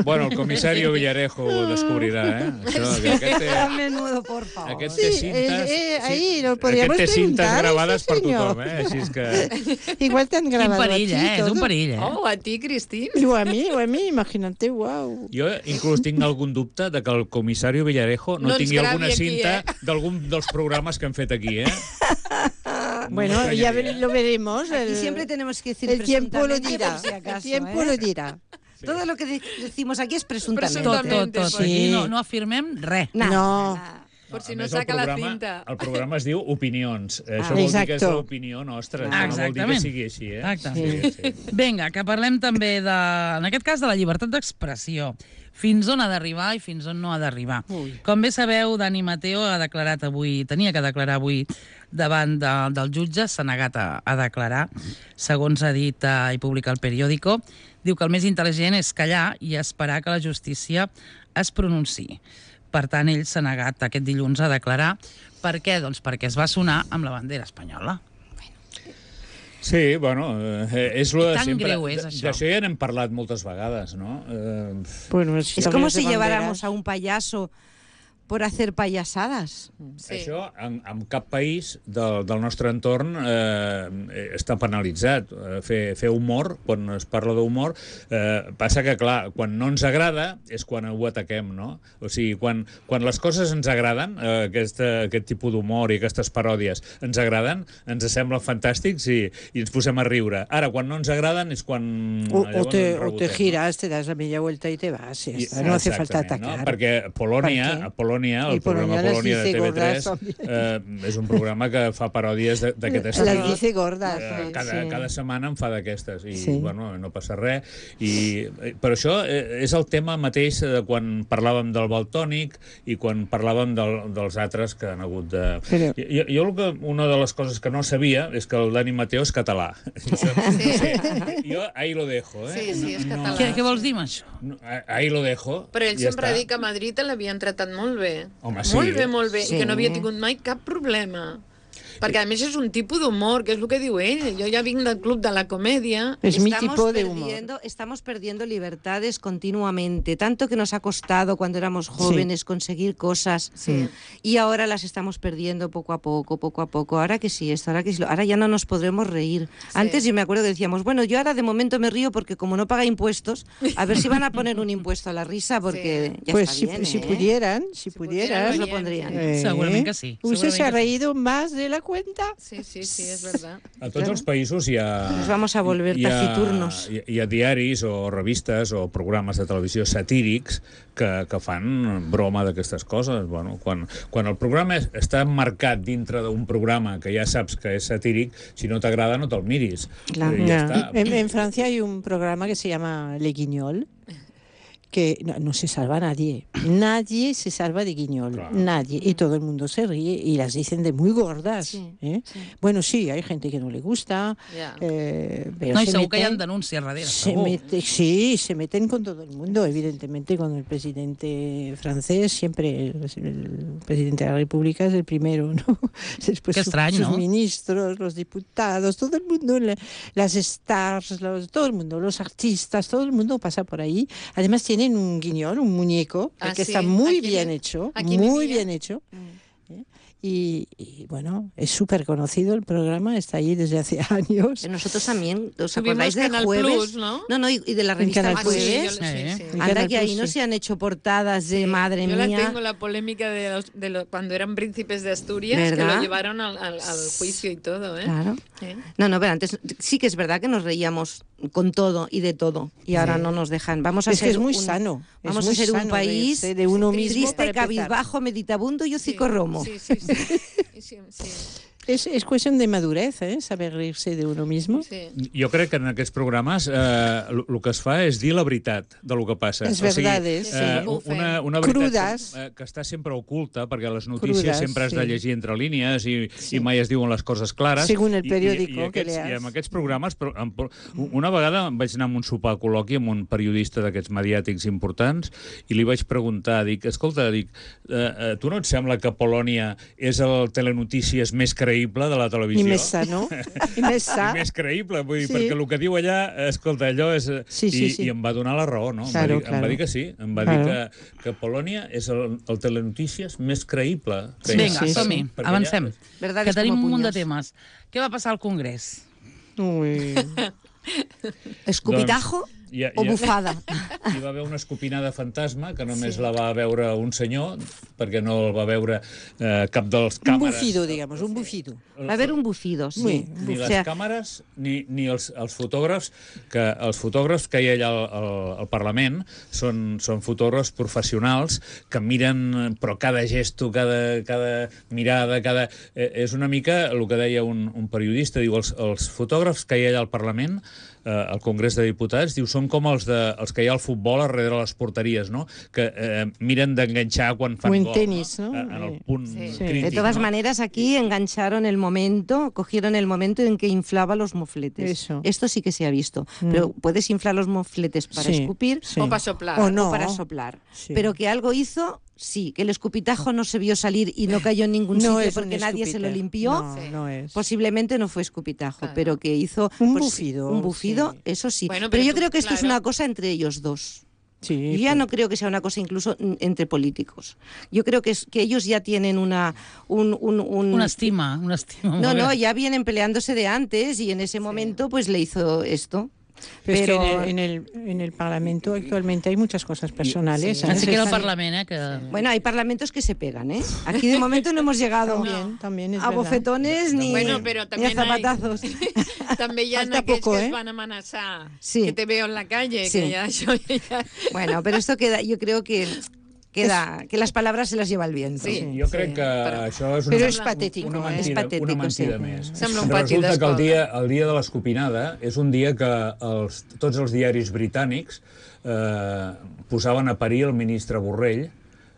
Bueno, el comisario Villarejo ho descobrirà, eh? Això, a menudo, por favor. Aquest té cintes, ahí lo podríamos aquest té cintes gravades per senyor. tothom, eh? Així és que... Igual te han grabado a ti, és un perill, eh? Oh, a ti, Cristín. O a mí, imagínate, wow. Jo inclús tinc algun dubte de que el comisario Villarejo no tingui alguna cinta d'algun dels programes que han fet aquí, eh? Bueno, ya lo veremos. Aquí siempre tenemos que decir el tiempo lo presuntamente, dirá. por si acaso, El tiempo lo dirá. Sí. Todo lo que decimos aquí es presuntamente. Tot. Sí. No afirmem res. No. Por si no saca la cinta. El programa es diu Opinions. Això vol dir que és l'opinió nostra. No vol dir que sigui així, eh? Exacte. Vinga, que parlem també, en aquest cas, de la llibertat d'expressió. Fins on ha d'arribar i fins on no ha d'arribar. Com bé sabeu, Dani Mateo tenia que declarar avui davant del jutge, s'ha negat a declarar, segons ha dit i publica el periòdico. Diu que el més intel·ligent és callar i esperar que la justícia es pronunciï. Per tant, ell s'ha negat aquest dilluns a declarar. Per què? Doncs perquè es va sonar amb la bandera espanyola. Sí, bueno, és lo de sempre. Greu és, això. D'això ja n'hem parlat moltes vegades, ¿no? Es como si lleváramos a un payaso por hacer payasadas. Sí. Això en cap país del nostre entorn està penalitzat. Fer humor, quan es parla d'humor, passa que, clar, quan no ens agrada és quan ho ataquem, no? O sigui, quan les coses ens agraden, aquest tipus d'humor i aquestes paròdies ens agraden, ens semblen fantàstics i ens posem a riure. Ara, quan no ens agraden és quan... O te giras, te das la media vuelta y te vas. No hace falta atacar. No? Perquè el programa Polònia de TV3 és un programa que fa paròdies d'aquest estil. Les dice gordas. Cada setmana en fa d'aquestes i bueno, no passa res. Però això és el tema mateix de quan parlàvem del Valtònic i quan parlàvem dels altres que han hagut de... Jo una de les coses que no sabia és que el Dani Mateo és català. Jo ahí lo dejo. Sí, és català. Què vols dir amb això? Ahí lo dejo. Però ell sempre ha dit que a Madrid l'havien tratat molt bé. Home, sí. Molt bé, i que no havia tingut mai cap problema. Perquè, a més, és un tipus d'humor, que és el que diu ell. Jo ja vinc del club de la comedia. Es mi tipo de humor. Estamos perdiendo libertades continuamente, tanto que nos ha costado cuando éramos jóvenes conseguir cosas y ahora las estamos perdiendo poco a poco. Ahora que sí, ahora ya no nos podremos reír. Antes yo me acuerdo que decíamos, bueno, yo ahora de momento me río porque como no paga impuestos, a ver si van a poner un impuesto a la risa porque ya pues está bien, si pudieran, pues lo pondrían. Segurament que sí. Usted se ha reído más de la cuenta. Sí, és verdad. A tots els països hi ha... Nos vamos a volver taciturnos. Hi ha diaris o revistes o programes de televisió satírics que fan broma d'aquestes coses. Bueno, quan el programa està marcat dintre d'un programa que ja saps que és satíric, si no t'agrada no te'l miris. En Francia hay un programa que se llama Le Guignol, que no se salva nadie. Nadie se salva de Guiñol. Claro. Nadie. Y todo el mundo se ríe y las dicen de muy gordas. Sí. Bueno, sí, hay gente que no le gusta. Pero no, y segur que hi ha denúncies darrere. Se meten con todo el mundo. Evidentemente, con el presidente francés, siempre el presidente de la República es el primero, ¿no? Después sus ministros, los diputados, todo el mundo, las stars, todo el mundo, los artistas, todo el mundo pasa por ahí. Además, tienen un guiñol, un muñeco, que está muy bien hecho, muy bien hecho. Y bueno, es súper conocido el programa, está ahí desde hace años. Nosotros también, ¿os acordáis del Jueves? Plus, ¿no? No, y de la revista El Jueves. Anda que ahí no se han hecho portadas de madre mía. Yo la tengo, la polémica de cuando eran príncipes de Asturias, ¿verdad? Que lo llevaron al juicio y todo, ¿eh? Claro. No, pero antes sí que es verdad que nos reíamos con todo y de todo, y ahora no nos dejan. Vamos a ser que es muy sano. Vamos a ser un país de uno mismo, triste, cabizbajo, meditabundo y hocicorromo. Sí. És qüestió de madurez, saber rir-se d'uno mismo. Sí. Jo crec que en aquests programes el que es fa és dir la veritat del que passa. Les verdades, una veritat que està sempre oculta, perquè les notícies sempre has de llegir entre línies i mai es diuen les coses clares. Según el periòdico que leas. I amb aquests programes, una vegada vaig anar a un sopar col·loqui amb un periodista d'aquests mediàtics importants i li vaig preguntar, escolta, tu no et sembla que Polònia és el telenotícies més creïble de la televisió? I més sa, no? I més sa. I més creïble, vull dir, perquè el que diu allà, escolta, allò és... I em va donar la raó, no? Em va dir que sí, em va dir que Polònia és el telenotícies més creïble. Vinga, som-hi, avancem, que tenim un munt de temes. Què va passar al Congrés? Escupitajo. O bufada. Hi va haver una escopinada fantasma que només la va veure un senyor, perquè no el va veure cap dels càmeres. Un bufido, digamos, un bufido. Va haver un bufido, sí. Ni les càmeres ni els fotògrafs, que els fotògrafs que hi ha allà al Parlament són fotògrafs professionals que miren, però cada gesto, cada mirada, és una mica el que deia un periodista, diu, els fotògrafs que hi ha allà al Parlament, al Congrés de Diputats, diu, són com els que hi ha al futbol darrere les porteries, no? Que miren d'enganxar quan fan gol. O en tenis, ¿no? En el punt crític. De todas maneras, aquí engancharon el momento, cogieron el momento en que inflaba los mofletes. Eso. Esto sí que se ha visto. Pero puedes inflar los mofletes para escupir o para soplar. O para soplar. Sí. Pero que algo hizo... Sí, que el escupitajo no se vio salir y no cayó en ningún sitio porque nadie se lo limpió. No es. Posiblemente no fue escupitajo, claro. Pero que hizo un bufido. Un bufido, sí. Eso sí. Bueno, pero yo creo que esto es una cosa entre ellos dos. Sí, yo ya no creo que sea una cosa incluso entre políticos. Yo creo que ellos ya tienen una estima. No, ya vienen peleándose de antes y en ese momento pues le hizo esto. Pero es que en el Parlamento actualmente hay muchas cosas personales. Sí. Así que el Parlamento... Bueno, hay parlamentos que se pegan, ¿eh? Aquí de momento no hemos llegado también es a bofetones ni a zapatazos. També hi ha aquells que es van amenaçar, que te veo en la calle, que ya això... Bueno, pero esto queda, yo creo que las palabras se las lleva el viento. Sí, jo crec que això és una mentida més. Resulta que el dia de l'escopinada és un dia que tots els diaris britànics posaven a parir el ministre Borrell.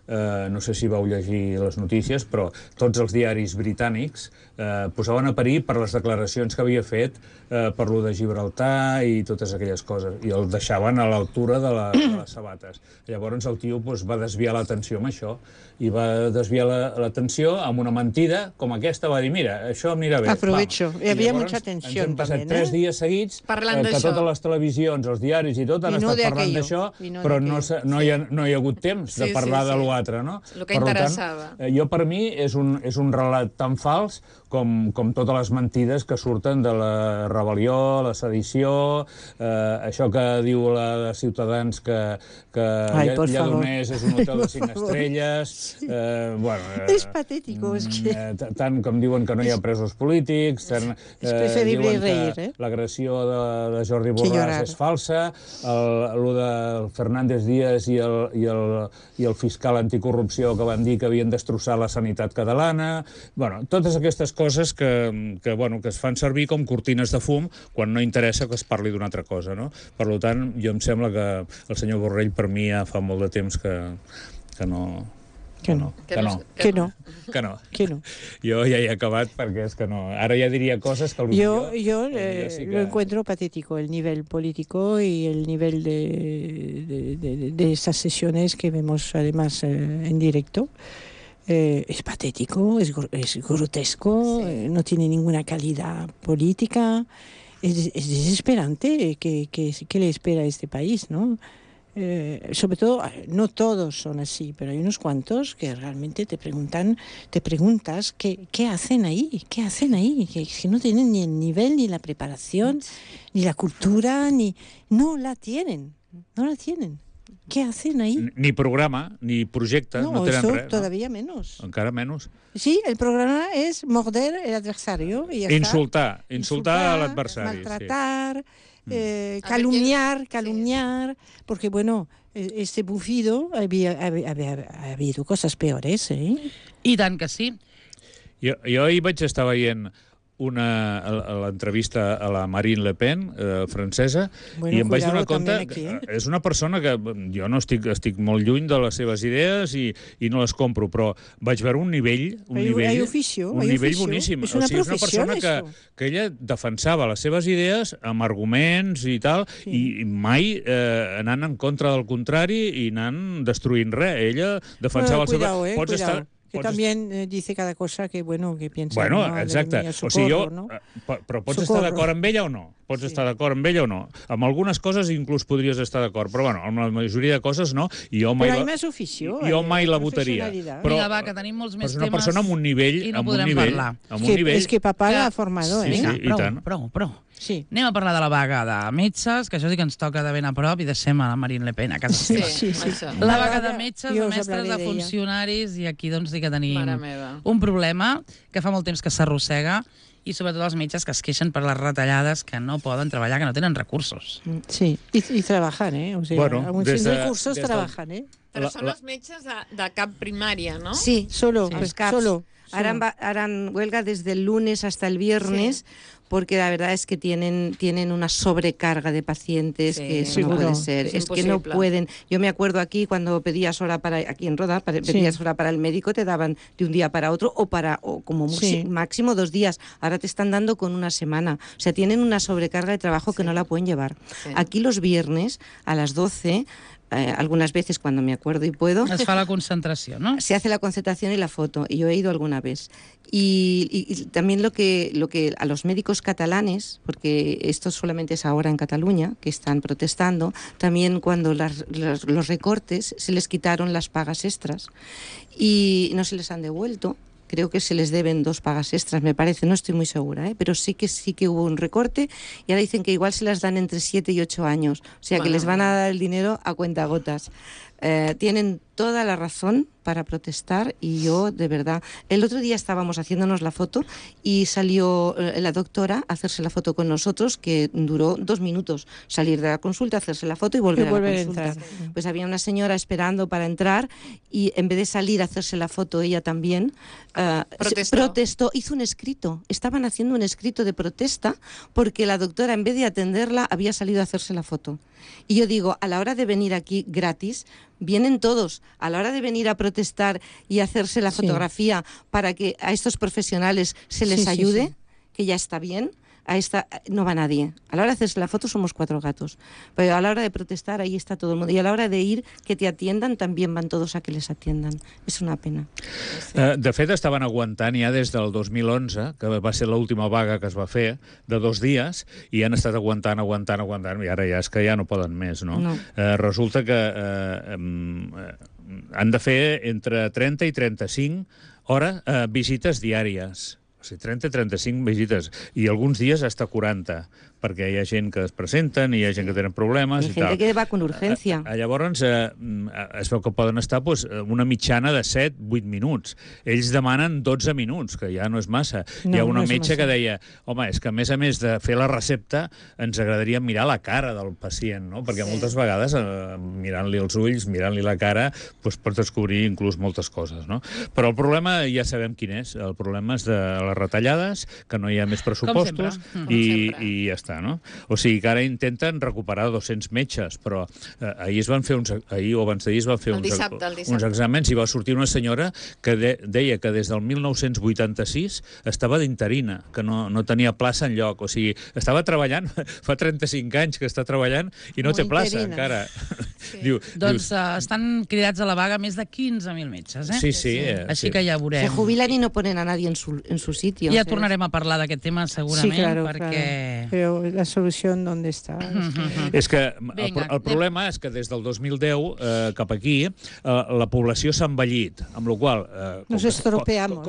No sé si vau llegir les notícies, però tots els diaris britànics posaven a parir per les declaracions que havia fet per lo de Gibraltar i totes aquelles coses, i el deixaven a l'altura de les sabates. Llavors el tio va desviar l'atenció amb això, i va desviar l'atenció amb una mentida com aquesta, va dir, mira, això mira bé. Aprovecho, hi havia mucha atenció. Ens hem passat 3 dies seguits que totes les televisions, els diaris i tot han estat parlant d'això, però no hi ha hagut temps de parlar de l'altre, no? El que interessava. Per mi és un relat tan fals com totes les mentides que surten de la rebel·lió, la sedició, això que diu la de Ciutadans que Lledoners és un hotel de 5 estrelles. És patètico, és que... Tant com diuen que no hi ha presos polítics, diuen que l'agressió de Jordi Borràs és falsa, el de Fernández Díaz i el fiscal anticorrupció que van dir que havien destrossat la sanitat catalana. Totes aquestes coses que es fan servir com cortines de fum quan no interessa que es parli d'una altra cosa, no? Per tant, jo em sembla que el senyor Borrell per mi ja fa molt de temps que no. Jo ja he acabat perquè és que no. Ara ja diria coses que... Yo lo encuentro patético, el nivel político y el nivel de estas sesiones que vemos además en directo. Es patético, es grotesco, no tiene ninguna calidad política. Es desesperante qué le espera a este país, ¿no? Sobre todo, no todos son así, pero hay unos cuantos que realmente te preguntas qué hacen ahí, que no tienen ni el nivel, ni la preparación, ni la cultura, no la tienen. ¿Qué hacen ahí? Ni programa, ni projecte, no tenen res. No, todavía menos. Encara menos. Sí, el programa es morder el adversario. Y ya insultar a l'adversari. Maltratar, calumniar, porque este bufido había habido cosas peores, ¿eh? I tant que sí. Jo ahir vaig estar veient l'entrevista a la Marine Le Pen, francesa, i em vaig donar compte que és una persona que jo no estic molt lluny de les seves idees i no les compro, però vaig veure un nivell boníssim. És una persona que ella defensava les seves idees amb arguments i tal, i mai anant en contra del contrari i anant destruint res. Ella defensava el seu... Pots estar... Que también dice cada cosa que piensa. Exacte. O sigui, però pots estar d'acord amb ella o no? pots estar d'acord amb ella o no. Amb algunes coses inclús podries estar d'acord, però bueno, amb la majoria de coses no. I jo mai però hi més ofició. Jo mai la votaria. Vinga, va, que tenim molts més temes. És una persona amb un nivell... I no podrem parlar. És que papà l'ha formador, sí, eh? Vinga, prou. Sí. Anem a parlar de la vaga de metges, que això sí que ens toca de ben a prop, i deixem a la Marine Le Pen a casa seva. Sí. La vaga de metges, de mestres, de funcionaris, i aquí doncs sí que tenim un problema que fa molt temps que s'arrossega, i sobretot els metges que es queixen per les retallades, que no poden treballar, que no tenen recursos. Sí, i trabajan, ¿eh? O sea, bueno, sin recursos trabajan, ¿eh? Però són els metges de cap primària, ¿no? Sí, solo. los CAPs. Harán huelga desde el lunes hasta el viernes, porque la verdad es que tienen una sobrecarga de pacientes que eso no puede ser. Es que no pueden. Yo me acuerdo aquí cuando pedías hora aquí en Roda, pedías hora para el médico, te daban de un día para otro o como máximo 2 días. Ahora te están dando con una semana. O sea, tienen una sobrecarga de trabajo que no la pueden llevar. Sí. Aquí los viernes a las 12... algunas veces cuando me acuerdo y puedo. Es fa la concentración, ¿no? Se hace la concentración y la foto, y yo he ido alguna vez. Y también lo que a los médicos catalanes, porque esto solamente es ahora en Cataluña, que están protestando, también cuando los recortes se les quitaron las pagas extras y no se les han devuelto. Creo que se les deben 2 pagas extras, me parece, no estoy muy segura, pero sí que hubo un recorte y ahora dicen que igual se las dan entre 7 y 8 años, o sea que les van a dar el dinero a cuentagotas. Tienen toda la razón para protestar y yo, de verdad, el otro día estábamos haciéndonos la foto y salió la doctora a hacerse la foto con nosotros, que duró 2 minutos, salir de la consulta, hacerse la foto y volver a la consulta. Pues había una señora esperando para entrar y en vez de salir a hacerse la foto ella también protestó, hizo un escrito, estaban haciendo un escrito de protesta porque la doctora en vez de atenderla había salido a hacerse la foto. Y yo digo, a la hora de venir aquí gratis, vienen todos, a la hora de venir a protestar y hacerse la fotografía para que a estos profesionales se les ayude, que ya está bien, a esta no va nadie. A la hora de hacerse la foto somos 4 gatos, pero a la hora de protestar ahí está todo el mundo. Y a la hora de ir, que te atiendan, también van todos a que les atiendan. És una pena. De fet, estaven aguantant ja des del 2011, que va ser l'última vaga que es va fer, de 2 dies, i han estat aguantant, i ara ja és que ja no poden més, no? Resulta que han de fer entre 30 i 35 hores visites diàries. O sigui, 30 i 35 visites, i alguns dies hasta 40, perquè hi ha gent que es presenten, hi ha gent que tenen problemes i tal. Hi ha gent que va con urgència. Llavors, es veu que poden estar una mitjana de 7-8 minuts. Ells demanen 12 minuts, que ja no és massa. Hi ha una metge que deia, home, és que a més de fer la recepta, ens agradaria mirar la cara del pacient, no? Perquè moltes vegades, mirant-li els ulls, mirant-li la cara, pots descobrir inclús moltes coses, no? Però el problema ja sabem quin és. El problema és de les retallades, que no hi ha més pressupostos, i ja està, no? O sigui que ara intenten recuperar 200 metges, però ahir es van fer ahir o abans d'ahir es van fer uns exàmens i va sortir una senyora que deia que des del 1986 estava d'interina, que no tenia plaça enlloc. O sigui, estava treballant, fa 35 anys que està treballant i no té plaça encara. Doncs estan cridats a la vaga més de 15.000 metges, eh? Sí. Així que ja veurem. Se jubilan y no ponen a nadie en su sitio. Ja tornarem a parlar d'aquest tema segurament, perquè... Però la solució on està? És que el problema és que des del 2010 cap aquí la població s'ha envellit, amb la qual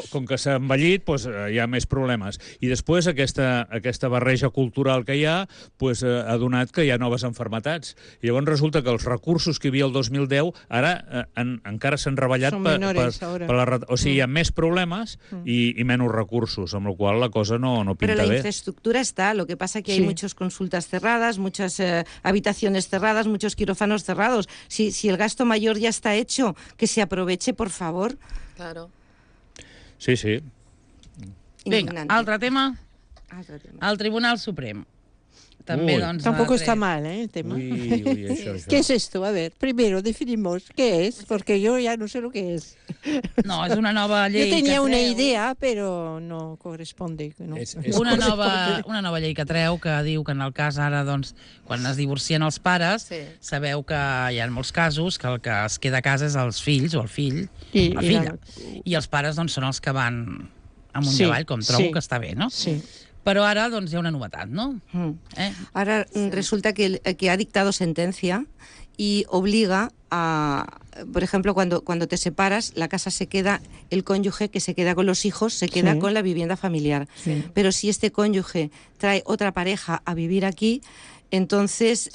com que s'ha envellit hi ha més problemes. I després aquesta barreja cultural que hi ha ha donat que hi ha noves malalties. I llavors resulta que els recursos que hi havia el 2010 ara encara s'han reballat o sigui, hi ha més problemes i menys recursos, amb la qual la cosa no pinta bé. Pero la infraestructura está, lo que pasa que hay muchas consultas cerradas, muchas habitaciones cerradas, muchos quirófanos cerrados. Si el gasto mayor ya está hecho, que se aproveche, por favor. Claro. Sí. Vinga, altre tema? El Tribunal Suprem. Tampoco está mal, el tema. ¿Qué es esto? A ver, primero definimos qué es, porque yo ya no sé lo que es. No, es una nova llei. Yo tenía una idea, pero no corresponde. No. Una nova llei que treu, que diu que en el cas ara, doncs, quan es divorcien els pares, sabeu que hi ha molts casos que el que es queda a casa és els fills o el fill, la filla. I els pares, doncs, són els que van amunt i avall, com trobo que està bé, no? Sí. Però ara doncs, hi ha una novetat, no? Ahora resulta que ha dictado sentencia y obliga a, por ejemplo, cuando te separas, la casa se queda, el cónyuge que se queda con los hijos se queda con la vivienda familiar. Sí. Pero si este cónyuge trae otra pareja a vivir aquí, entonces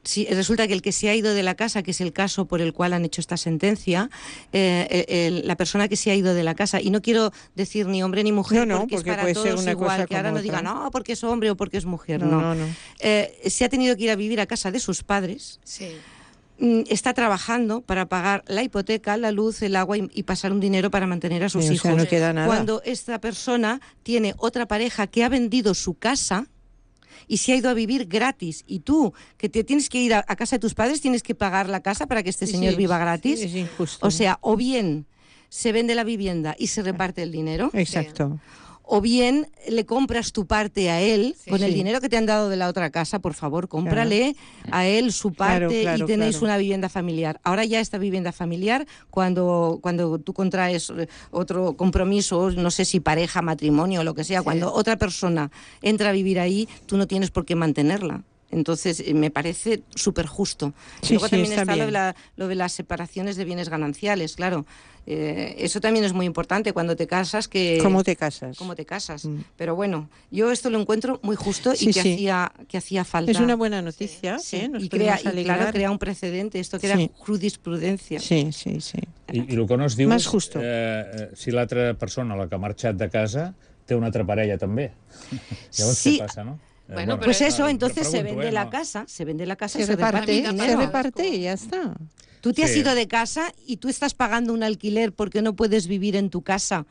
si resulta que el que se ha ido de la casa, que es el caso por el cual han hecho esta sentencia, la persona que se ha ido de la casa, y no quiero decir ni hombre ni mujer, porque es para todos igual, que ahora no digan, no, porque es hombre o porque es mujer, no. Se ha tenido que ir a vivir a casa de sus padres, está trabajando para pagar la hipoteca, la luz, el agua y pasar un dinero para mantener a sus hijos. O sea, no queda nada. Cuando esta persona tiene otra pareja que ha vendido su casa y se ha ido a vivir gratis, y tú, que te tienes que ir a casa de tus padres, tienes que pagar la casa para que este señor viva gratis. Es injusto. O sea, o bien se vende la vivienda y se reparte el dinero. Exacto. O bien le compras tu parte a él con el dinero que te han dado de la otra casa, por favor, cómprale a él su parte y tenéis una vivienda familiar. Ahora ya esta vivienda familiar, cuando tú contraes otro compromiso, no sé si pareja, matrimonio o lo que sea, cuando otra persona entra a vivir ahí, tú no tienes por qué mantenerla. Entonces, me parece súper justo. Sí, luego también está bien. lo de las separaciones de bienes gananciales, claro. Eso también es muy importante cuando te casas. ¿Cómo te casas? ¿Cómo te casas? Pero bueno, yo esto lo encuentro muy justo y que hacía falta. Es una buena noticia. Nos crea un precedente, esto crea jurisprudencia. Sí. I el que no es diu Más és justo. Si l'altra persona, la que ha marxat de casa, té una altra parella també. Llavors què passa, no? Bueno, pues eso, entonces se vende la casa, se reparte y ya está. Tú te has ido de casa y tú estás pagando un alquiler porque no puedes vivir en tu casa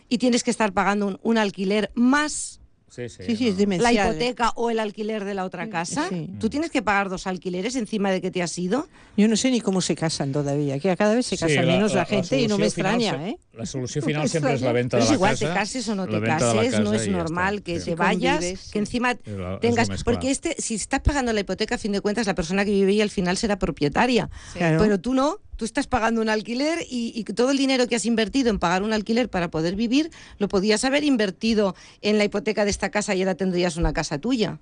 y tienes que estar pagando un alquiler más es demencial. La hipoteca o el alquiler de la otra casa. ¿Tú tienes que pagar 2 alquileres encima de que te has ido? Yo no sé ni cómo se casan todavía, que cada vez se casa menos la gente y no me extraña, ¿eh? La solució final sempre és la venta de la casa. Es igual, casa. te cases o no te cases, no es normal que te vayas, que encima tengas... Porque si estás pagando la hipoteca, a fin de cuentas, la persona que vive ahí al final será propietaria. Claro. Pero tú no. Tú estás pagando un alquiler y todo el dinero que has invertido en pagar un alquiler para poder vivir, lo podías haber invertido en la hipoteca de esta casa y ahora tendrías una casa tuya.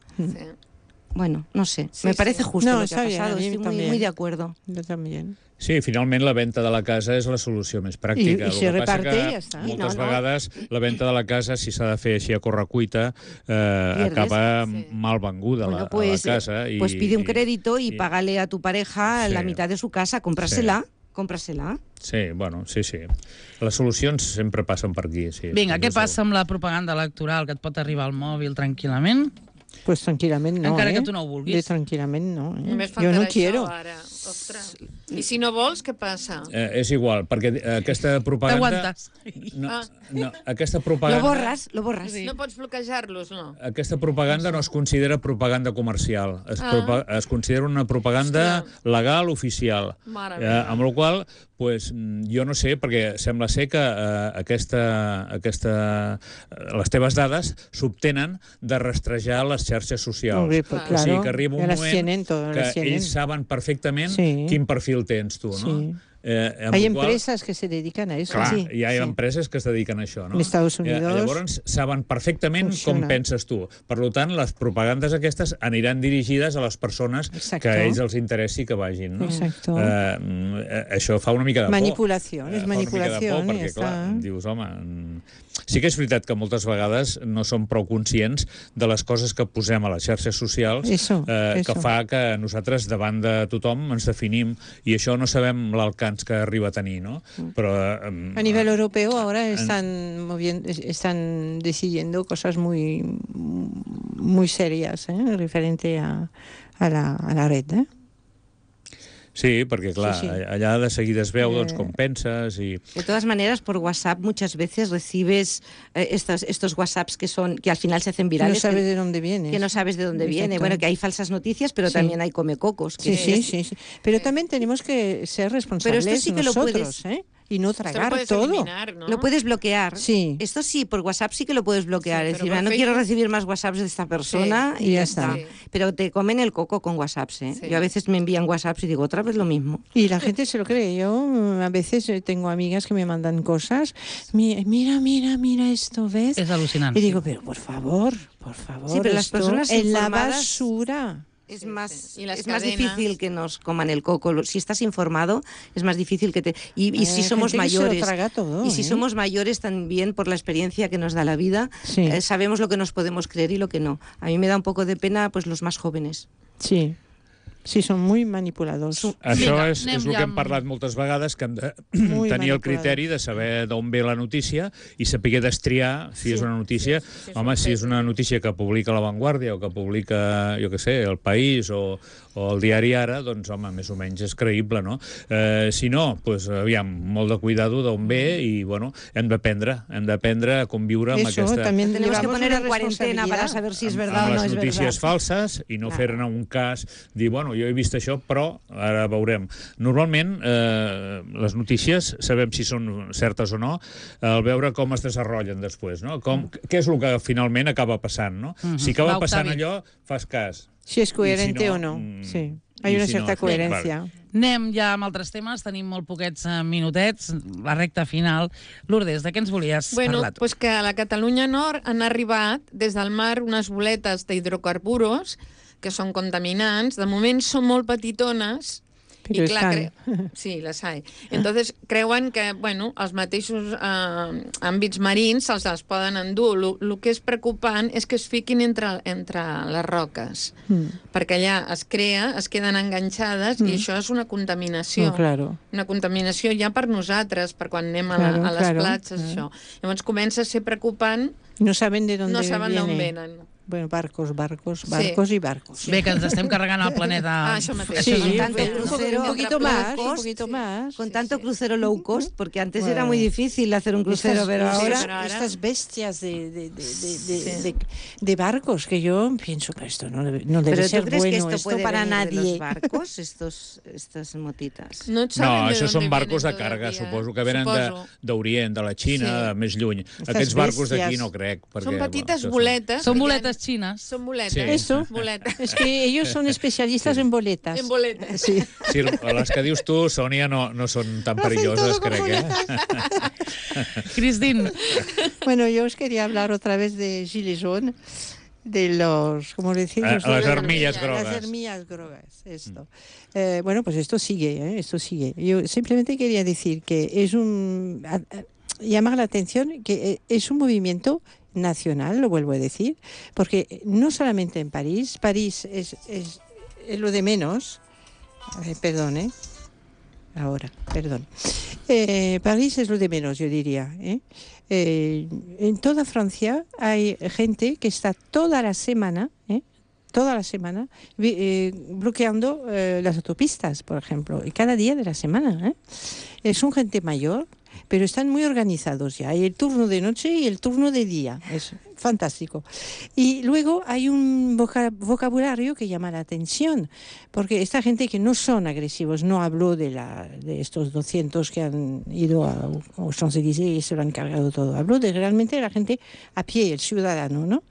Bueno, no sé, me parece justo lo que ha pasado, estoy muy de acuerdo. Yo también. Sí, finalment la venda de la casa és la solució més pràctica. I si reparte, ja està. Moltes vegades la venda de la casa, si s'ha de fer així a correcuita, acaba mal venguda la casa. Pues pide un crédito y págale a tu pareja la mitad de su casa, cómprasela. Sí, bueno, sí. Les solucions sempre passen per aquí. Sí, Vinga, què passa amb la propaganda electoral que et pot arribar al mòbil tranquil·lament? Pues tranquil·lament no, Encara que tu no ho vulguis. Tranquil·lament no, Només jo no faltarà quiero. això ara. Ostres. I si no vols, què passa? És igual, perquè aquesta propaganda... T'aguantes. No, aquesta propaganda... Lo borras. Sí. No pots bloquejar-los, no? Aquesta propaganda no es considera propaganda comercial. Es considera una propaganda legal, oficial. Amb la qual pues, jo no sé, perquè sembla ser que les teves dades s'obtenen de rastrejar les xarxes socials. Claro, o sigui que arriba un moment que ells saben perfectament quin perfil tens tu, no? Sí. Hay empresas que se dedican a eso. Clar, hi ha empreses que es dediquen a això, no? En Estados Unidos... Llavors saben perfectament com penses tu. Per tant, les propagandes aquestes aniran dirigides a les persones que a ells els interessi que vagin, no? Exacto. Això fa una mica de por. Manipulació, és manipulació. Perquè, clar, dius, home... Sí que és veritat que moltes vegades no som prou conscients de les coses que posem a les xarxes socials que fa que nosaltres davant de tothom ens definim i això no sabem l'alcance que arriba a tenir, no? Però a nivel europeo ahora están decidiendo cosas muy serias referente a la red, Sí, perquè, clar, allà de seguida es veu com penses i... De todas maneras, por WhatsApp muchas veces recibes estos WhatsApps que al final se hacen virales. Que no sabes de dónde viene. Que no sabes de dónde viene. Bueno, que hay falsas noticias, pero también hay comecocos. Sí. Pero también tenemos que ser responsables nosotros, y no tragar todo. Eliminar, ¿no? Lo puedes bloquear. Sí. Esto sí, por WhatsApp sí que lo puedes bloquear. Sí, Es pero decir, por no Facebook... quiero recibir más WhatsApps de esta persona y ya está. Sí. Pero te comen el coco con WhatsApps, ¿eh? Sí. Yo a veces me envían WhatsApps y digo, otra vez lo mismo. Y la gente se lo cree. Yo a veces tengo amigas que me mandan cosas. Mira esto, ¿ves? És al·lucinant. Y digo, pero por favor, Sí, pero las esto personas en la informadas- basura. Es Sí, más, sí. Y las es más cadenas... difícil que nos coman el coco. Si estás informado, es más difícil que te... Y si Hay somos gente que se lo mayores... traga todo, Y si ¿eh? somos mayores también, por la experiencia que nos da la vida, Sí. sabemos lo que nos podemos creer y lo que no. A mí me da un poco de pena pues los más jóvenes. Sí. Sí, són muy manipuladors. Això Vinga, és anem el ja que hem amb- parlat moltes vegades, que hem de Muy tenir el manipulado. criteri de saber d'on ve la notícia i saber destriar si és una notícia... Home, si és una notícia que publica La Vanguardia o que publica, jo què sé, El País o el Diari Ara, doncs, home, més o menys és creïble, no? Si no, doncs, aviam, molt de cuidado d'on ve i, bueno, hem d'aprendre a conviure amb Eso, aquesta... también Tenemos que llevamos poner una en cuarentena para responsabilidad. saber si es amb verdad o no les es notícies verdad. falses i no Clar. fer-ne un cas, dir, bueno, jo he vist això, però ara veurem. Normalment, les notícies, sabem si són certes o no, al veure com es desenvolupen després, no? Què és el que finalment acaba passant, no? Si acaba Va, passant Octavi. allò, fas cas. Si es coherente I si no, o no. Sí. i Hay una si cierta no, coherencia. Anem ja amb altres temes, tenim molt poquets minutets, la recta final. Lourdes, de què ens volies Bueno, parlar tu? pues que a la Catalunya Nord han arribat des del mar unes boletes d'hidrocarburos que són contaminants. De moment són molt petitones. Però I clar, estan. sí, les hay. Entonces creuen que, bueno, els mateixos àmbits marins se'ls les poden endur. El que és preocupant és que es fiquin entre les roques, perquè allà es queden enganxades i això és una contaminació. No, claro. Una contaminació ja per nosaltres, per quan anem Claro, a les claro, platges, claro. això. Llavors comença a ser preocupant, No saben de dónde no saben d'on viene. venen. Bueno, barcos Sí. y barcos. Bé, que ens estem carregant el planeta. Això mateix. Sí, Con tanto un crucero poquito low más, cost, un poquito más. Con tanto crucero low cost, porque antes Bueno. era muy difícil hacer un crucero, pero ahora... pero ahora- Estas bestias de barcos que yo pienso que esto no debe ¿Pero ser tú crees que bueno, esto esto puede para venir de los nadie. barcos, estas motitas? No, et saben No, de això dónde són barcos de vienen carga, todavía. suposo que venen Suposo. d'Orient, de la Xina, Sí. de més lluny. Estas Aquests barcos d'aquí bèsties. no crec. Perquè, Són petites això boletes. Són que boletes ja- xines. Són boletes. Sí. Eso. Boletes. Es que ellos son especialistas en boletas. En boletes. Sí. Sí, les que dius tu, Sònia, no són tan perilloses, crec, Cristín, Bueno, yo os quería hablar otra vez de Gilets jaunes, de los, ¿cómo decimos? Las armillas Las grogas. armillas grogas, esto. Bueno, pues esto sigue, esto sigue. Yo simplemente quería decir que es llamar la atención que es un movimiento nacional, lo vuelvo a decir, porque no solamente en París es lo de menos. Perdón, ahora, perdón. París es lo de menos, yo diría. En toda Francia hay gente que está toda la semana bloqueando las autopistas, por ejemplo, y cada día de la semana. Son gente mayor, pero están muy organizados ya. Hay el turno de noche y el turno de día. Es fantástico. Y luego hay un vocabulario que llama la atención, porque esta gente que no son agresivos, no habló de estos 200 que han ido a Champs-Élysées y se lo han cargado todo. Habló de realmente la gente a pie, el ciudadano, ¿no?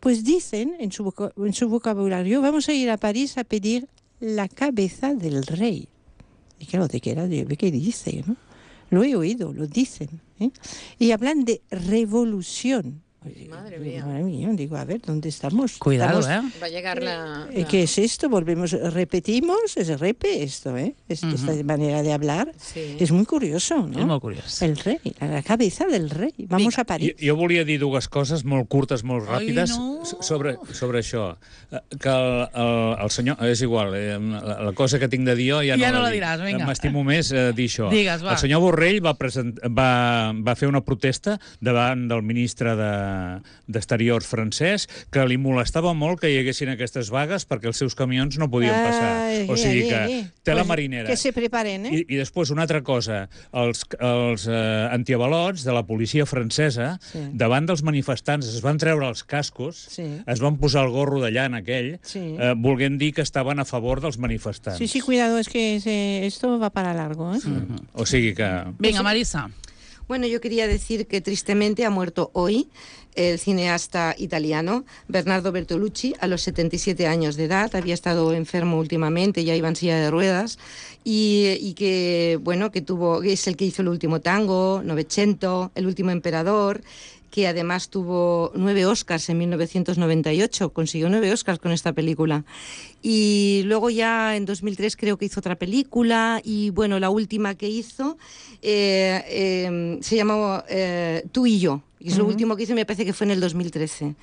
Pues dicen en su vocabulario, vamos a ir a París a pedir la cabeza del rey. Y claro, ¿de qué dice, no? Lo he oído, lo dicen. Y hablan de revolución. Madre mía. Madre mía, digo, a ver, ¿dónde estamos? cuidado, Estamos- Va a llegar la... ¿Qué es esto? Repetimos, es repe esto, Esta manera de hablar Sí. es muy curioso, ¿no? és molt curiós. El rey, la cabeza del rey. Vamos a París. Jo volia dir dues coses molt curtes, molt Ai, ràpides no. sobre això. Que el senyor... És igual, la cosa que tinc de dir jo ja no la la diràs, vinga. M'estimo més dir això. Digues, va. El senyor Borrell va fer una protesta davant del ministre d'Exteriors francès, que li molestava molt que hi haguessin aquestes vagues perquè els seus camions no podien passar. O sigui que té la marinera. Que se preparen, I després, una altra cosa, els antiavalots de la policia francesa, davant dels manifestants, es van treure els cascos, es van posar el gorro de llana aquell, volent dir que estaven a favor dels manifestants. Sí, cuidado, es que esto va para largo, ¿eh? O sigui que... Venga, Marisa. Bueno, yo quería decir que tristemente ha muerto hoy el cineasta italiano Bernardo Bertolucci a los 77 años de edad. Había estado enfermo últimamente, ya iba en silla de ruedas y que, bueno, que es el que hizo El último tango, Novecento, El último emperador, que además tuvo 9 Oscars en 1998, consiguió 9 Oscars con esta película. Y luego ya en 2003 creo que hizo otra película y bueno, la última que hizo se llamó Tú y yo. Y es lo último que hizo, me parece que fue en el 2013.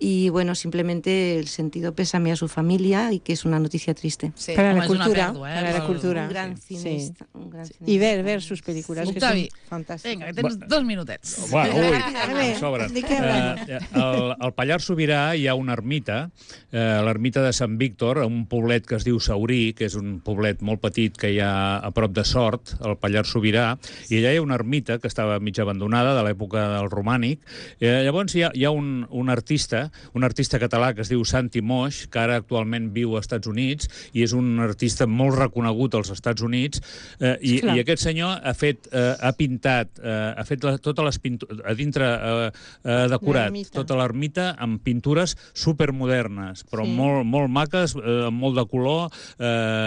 Y bueno, simplemente el sentido pésame a su familia y que es una noticia triste. Sí. Para la cultura, para la cultura. Un gran cineasta. Sí. Un gran cineasta. I ver sus pel·lícules, que són fantàstiques. Vinga, que tens 2 minutets. Em sobren. Al Pallars Sobirà hi ha una ermita, l'ermita de Sant Víctor, un poblet que es diu Saurí, que és un poblet molt petit que hi ha a prop de Sort, al Pallars Sobirà, i allà hi ha una ermita que estava mig abandonada de l'època del romànic. Llavors hi ha un artista català que es diu Santi Moix, que ara actualment viu als Estats Units i és un artista molt reconegut als Estats Units, i aquest senyor ha pintat, ha fet totes les pintures, a dintre ha decorat tota l'ermita amb pintures supermodernes, però molt maques, amb molt de color,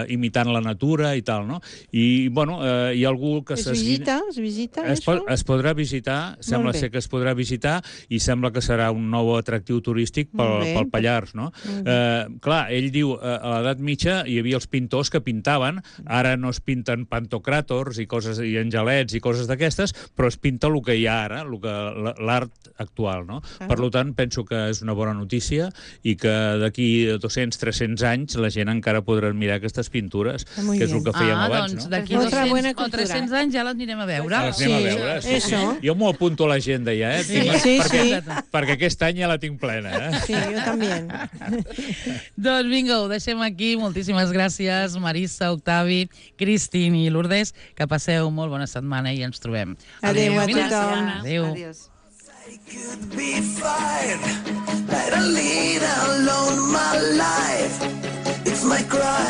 imitant la natura i tal, no? I, bueno, hi ha algú que... Es visita, es podrà visitar, sembla ser que es podrà visitar i sembla que serà un nou atractiu turístic pel Pallars, no? Clar, ell diu, a l'edat mitja hi havia els pintors que pintaven, ara no es pinten pantocràtors i angelets i coses d'aquestes, però es pinta el que hi ha ara, l'art actual, no? Per tant, penso que és una bona notícia i que d'aquí 200-300 anys la gent encara podrà mirar aquestes pintures, que és el que fèiem abans, no? Doncs d'aquí 200 o 300 anys ja les anirem a veure. Les anem a veure, sí. Jo m'ho apunto a l'agenda ja, perquè aquest any ja la tinc plena. Sí, jo també. Doncs vinga, ho deixem aquí. Moltíssimes gràcies, Marisa, Octavi, Cristín i Lourdes. Que passeu molt bona setmana i ens trobem. Adéu a tothom. Adéu. Adiós. I could be fine, let her lead alone my life. It's my cry.